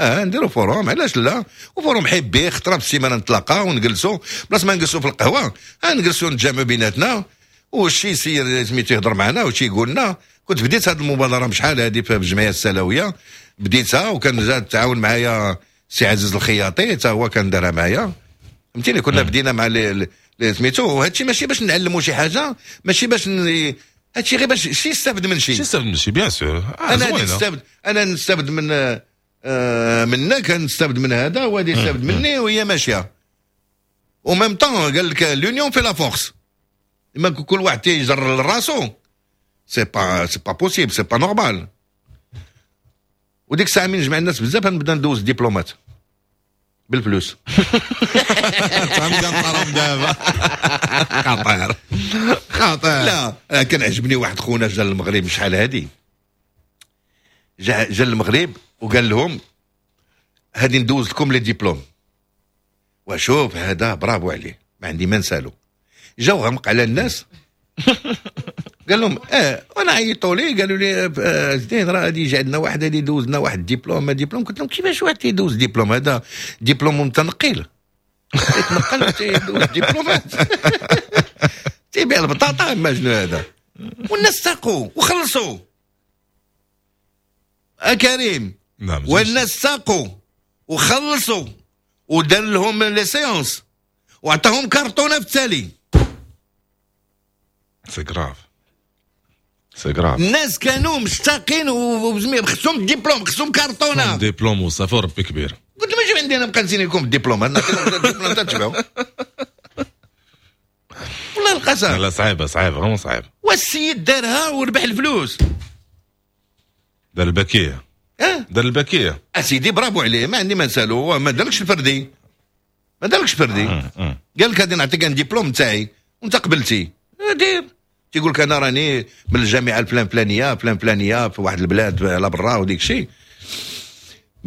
نديروا forum، علاش لا؟ و forum حبي خطره في السيمانة نتلاقاو ونجلسوا، بلاص ما نجلسوا في القهوة نجلسوا نتجمعوا بيناتنا، وشي سير سميتو يهضر معنا وشي يقول لنا. كنت بديت هذه المبادرة بشحال هذه في الجمعية السلاويه، بديتها وكان جا تعاون معايا سي عزيز الخياطي، حتى هو كان دارها معايا، فهمتيني. كنا بدينا مع لي سميتو، وهادشي ماشي باش نعلموا شي حاجة، ماشي باش هادشي غير باش شي يستافد من شي، يستافد من شي bien sûr. انا نستافد، انا نستافد من منك، نستافد من هذا، وهذا يستافد مني، وهي ماشية. و même temps قال لك l'union fait la force، اما كل واحد تيجر لراسو c'est pas possible، c'est pas normal. وديك الساعة من نجمع الناس بزاف نبدا ندوز ديبلومات بالفلوس. دابا خطير خطير. لا كان عجبني واحد خونا جا للمغرب شحال هادي، جا للمغرب وقال لهم هادي ندوز لكم les diplômes، وشوف هذا برافو عليه ما عندي ما نسالو. جاو غمق على الناس قال لهم وانا عيطوا لي قالوا لي زين راه غادي يجي عندنا واحد غادي يدوز لنا واحد ديبلوم ديبلوم. قلت لهم كيفاش واحد تيدوز ديبلوم؟ هذا ديبلوم متنقل، يتنقل تيدوز ديبلومات تيبيع البطاطا ما شنو هذا. والناس ساقوا وخلصوا كريم. نعم والناس ساقوا وخلصوا ودار لهم les séances وعطاهم كارطونه في التالي. c'est grave c'est grave. الناس كانوا مشتاقين وخصهم ديبلوم، خصهم كارطونه ديبلوم وصافي ربي كبير. قلت لهم اجيو عندي انا نبقى نسيني لكم الدبلوم، انا نعطيكم الدبلوم تتبعوا. والله القسم لا صعيبة صعيبة vraiment صعيبة. والسيد دارها وربح الفلوس، دار البكيه. دار البكيه اسيدي برافو عليه، ما عندي ما نسالو. هو ما دارلكش الفردي، ما دارلكش فردي. قال لك غادي نعطيك un diplôme تاعي وانت قبلتي دير. تيقول لك انا راني من الجامعة الفلان فلانيه فلان فلانيه في واحد البلاد على برا وديك الشيء.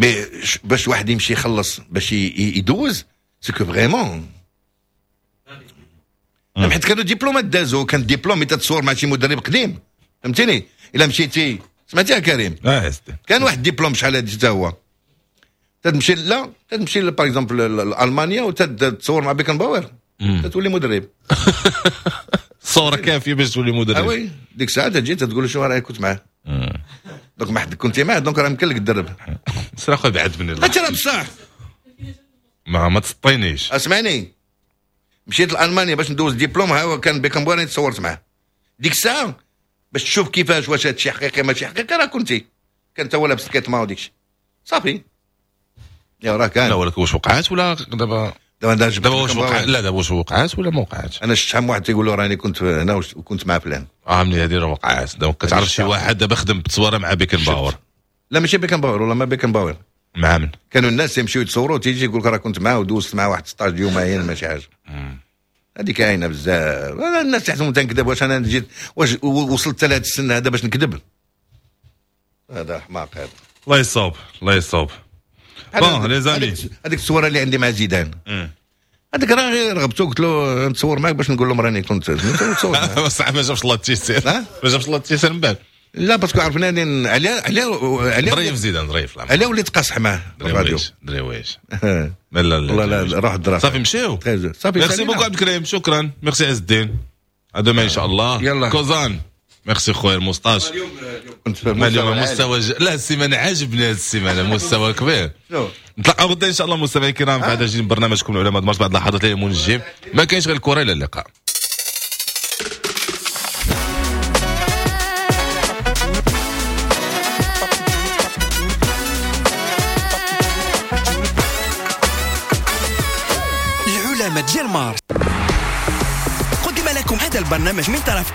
mais باش واحد يمشي يخلص باش يدوز c'est que vraiment. حيت كانوا ديبلومات دازو، كان ديبلوم تتصور مع شي مدرب قديم، فهمتيني. الا مشيتي سمعتي يا كريم؟ كان واحد ديبلوم شحال هادي حتى هو تمشي لا تمشي par exemple لالمانيا وتتصور مع بيكنباور تتولي مدرب. صورة كافية باش تولي مدرب. oui ديك الساعة تجي تقول له شو رايك كنت معاه. donc ما حد كنتي معاه donc راه يمكن لك تدرب. سير اخويا بعد مني. انت راه بصح ما تسطينيش. اسمعني، مشيت لالمانيا باش ندوز ديبلوم، ها هو كان بيكنباور تصورت معاه ديك الساعة باش تشوف كيفاش واش هادشي حقيقي ماشي حقيقي. راه كنتي كان تا هو لابس الكيتما وديك الشيء صافي. يا راه كان. لا ولكن واش وقعات ولا دابا دابا واش وقع؟ لا دابا واش وقعات ولا ما وقعاتش؟ انا شفت شحال من واحد تيقول له راني كنت هنا وكنت مع فلان. ملي هذه راه وقعات. donc كتعرف شي واحد دابا خدم بتصويره مع بيكنباور؟ لا ماشي بيكنباور، والله ما بيكنباور. مع من؟ كانوا الناس يمشيو يتصوروا تيجي يقول لك راه كنت معاه ودوزت معاه واحد 16 يومين ماشي حاجة. هذه كاينه بزاف. الناس تحسبهم تنكذب. واش انا جيت واش وصلت لهذا السن هذا باش نكذب؟ هذا حماق هذا. الله يصوب الله يصوب. bon les amis، هذيك الصورة اللي عندي مع زيدان هذاك راه غير رغبتو قلت له نتصور معاك باش نقول لهم راني كنت نتصور. بصح ما جابش الله التيسير، ما جابش الله التيسير من بعد. لا parce que عرفنا على على على ظريف زيدان ظريف. على وليت قاصح معاه الراديو دريويش. لا لا لا روح الدراسة صافي مشيو. صافي merci beaucoup عبد الكريم، شكرا. ميرسي عز الدين، à demain ان شاء الله. يلا كوزان ميرسي خويا الموسطاش. اليوم مستوى لا السيمانة عاجبني هذه السيمانة مستوى كبير. نتلاقاو غدا ان شاء الله مستمعي الكرام في هذا جديد برنامجكم العلماء مارس بعد لحظات المنجم. ما كاينش غير الكره، الى اللقاء. العلماء ديال مارس. قدم لكم جاكم هذا البرنامج من طرف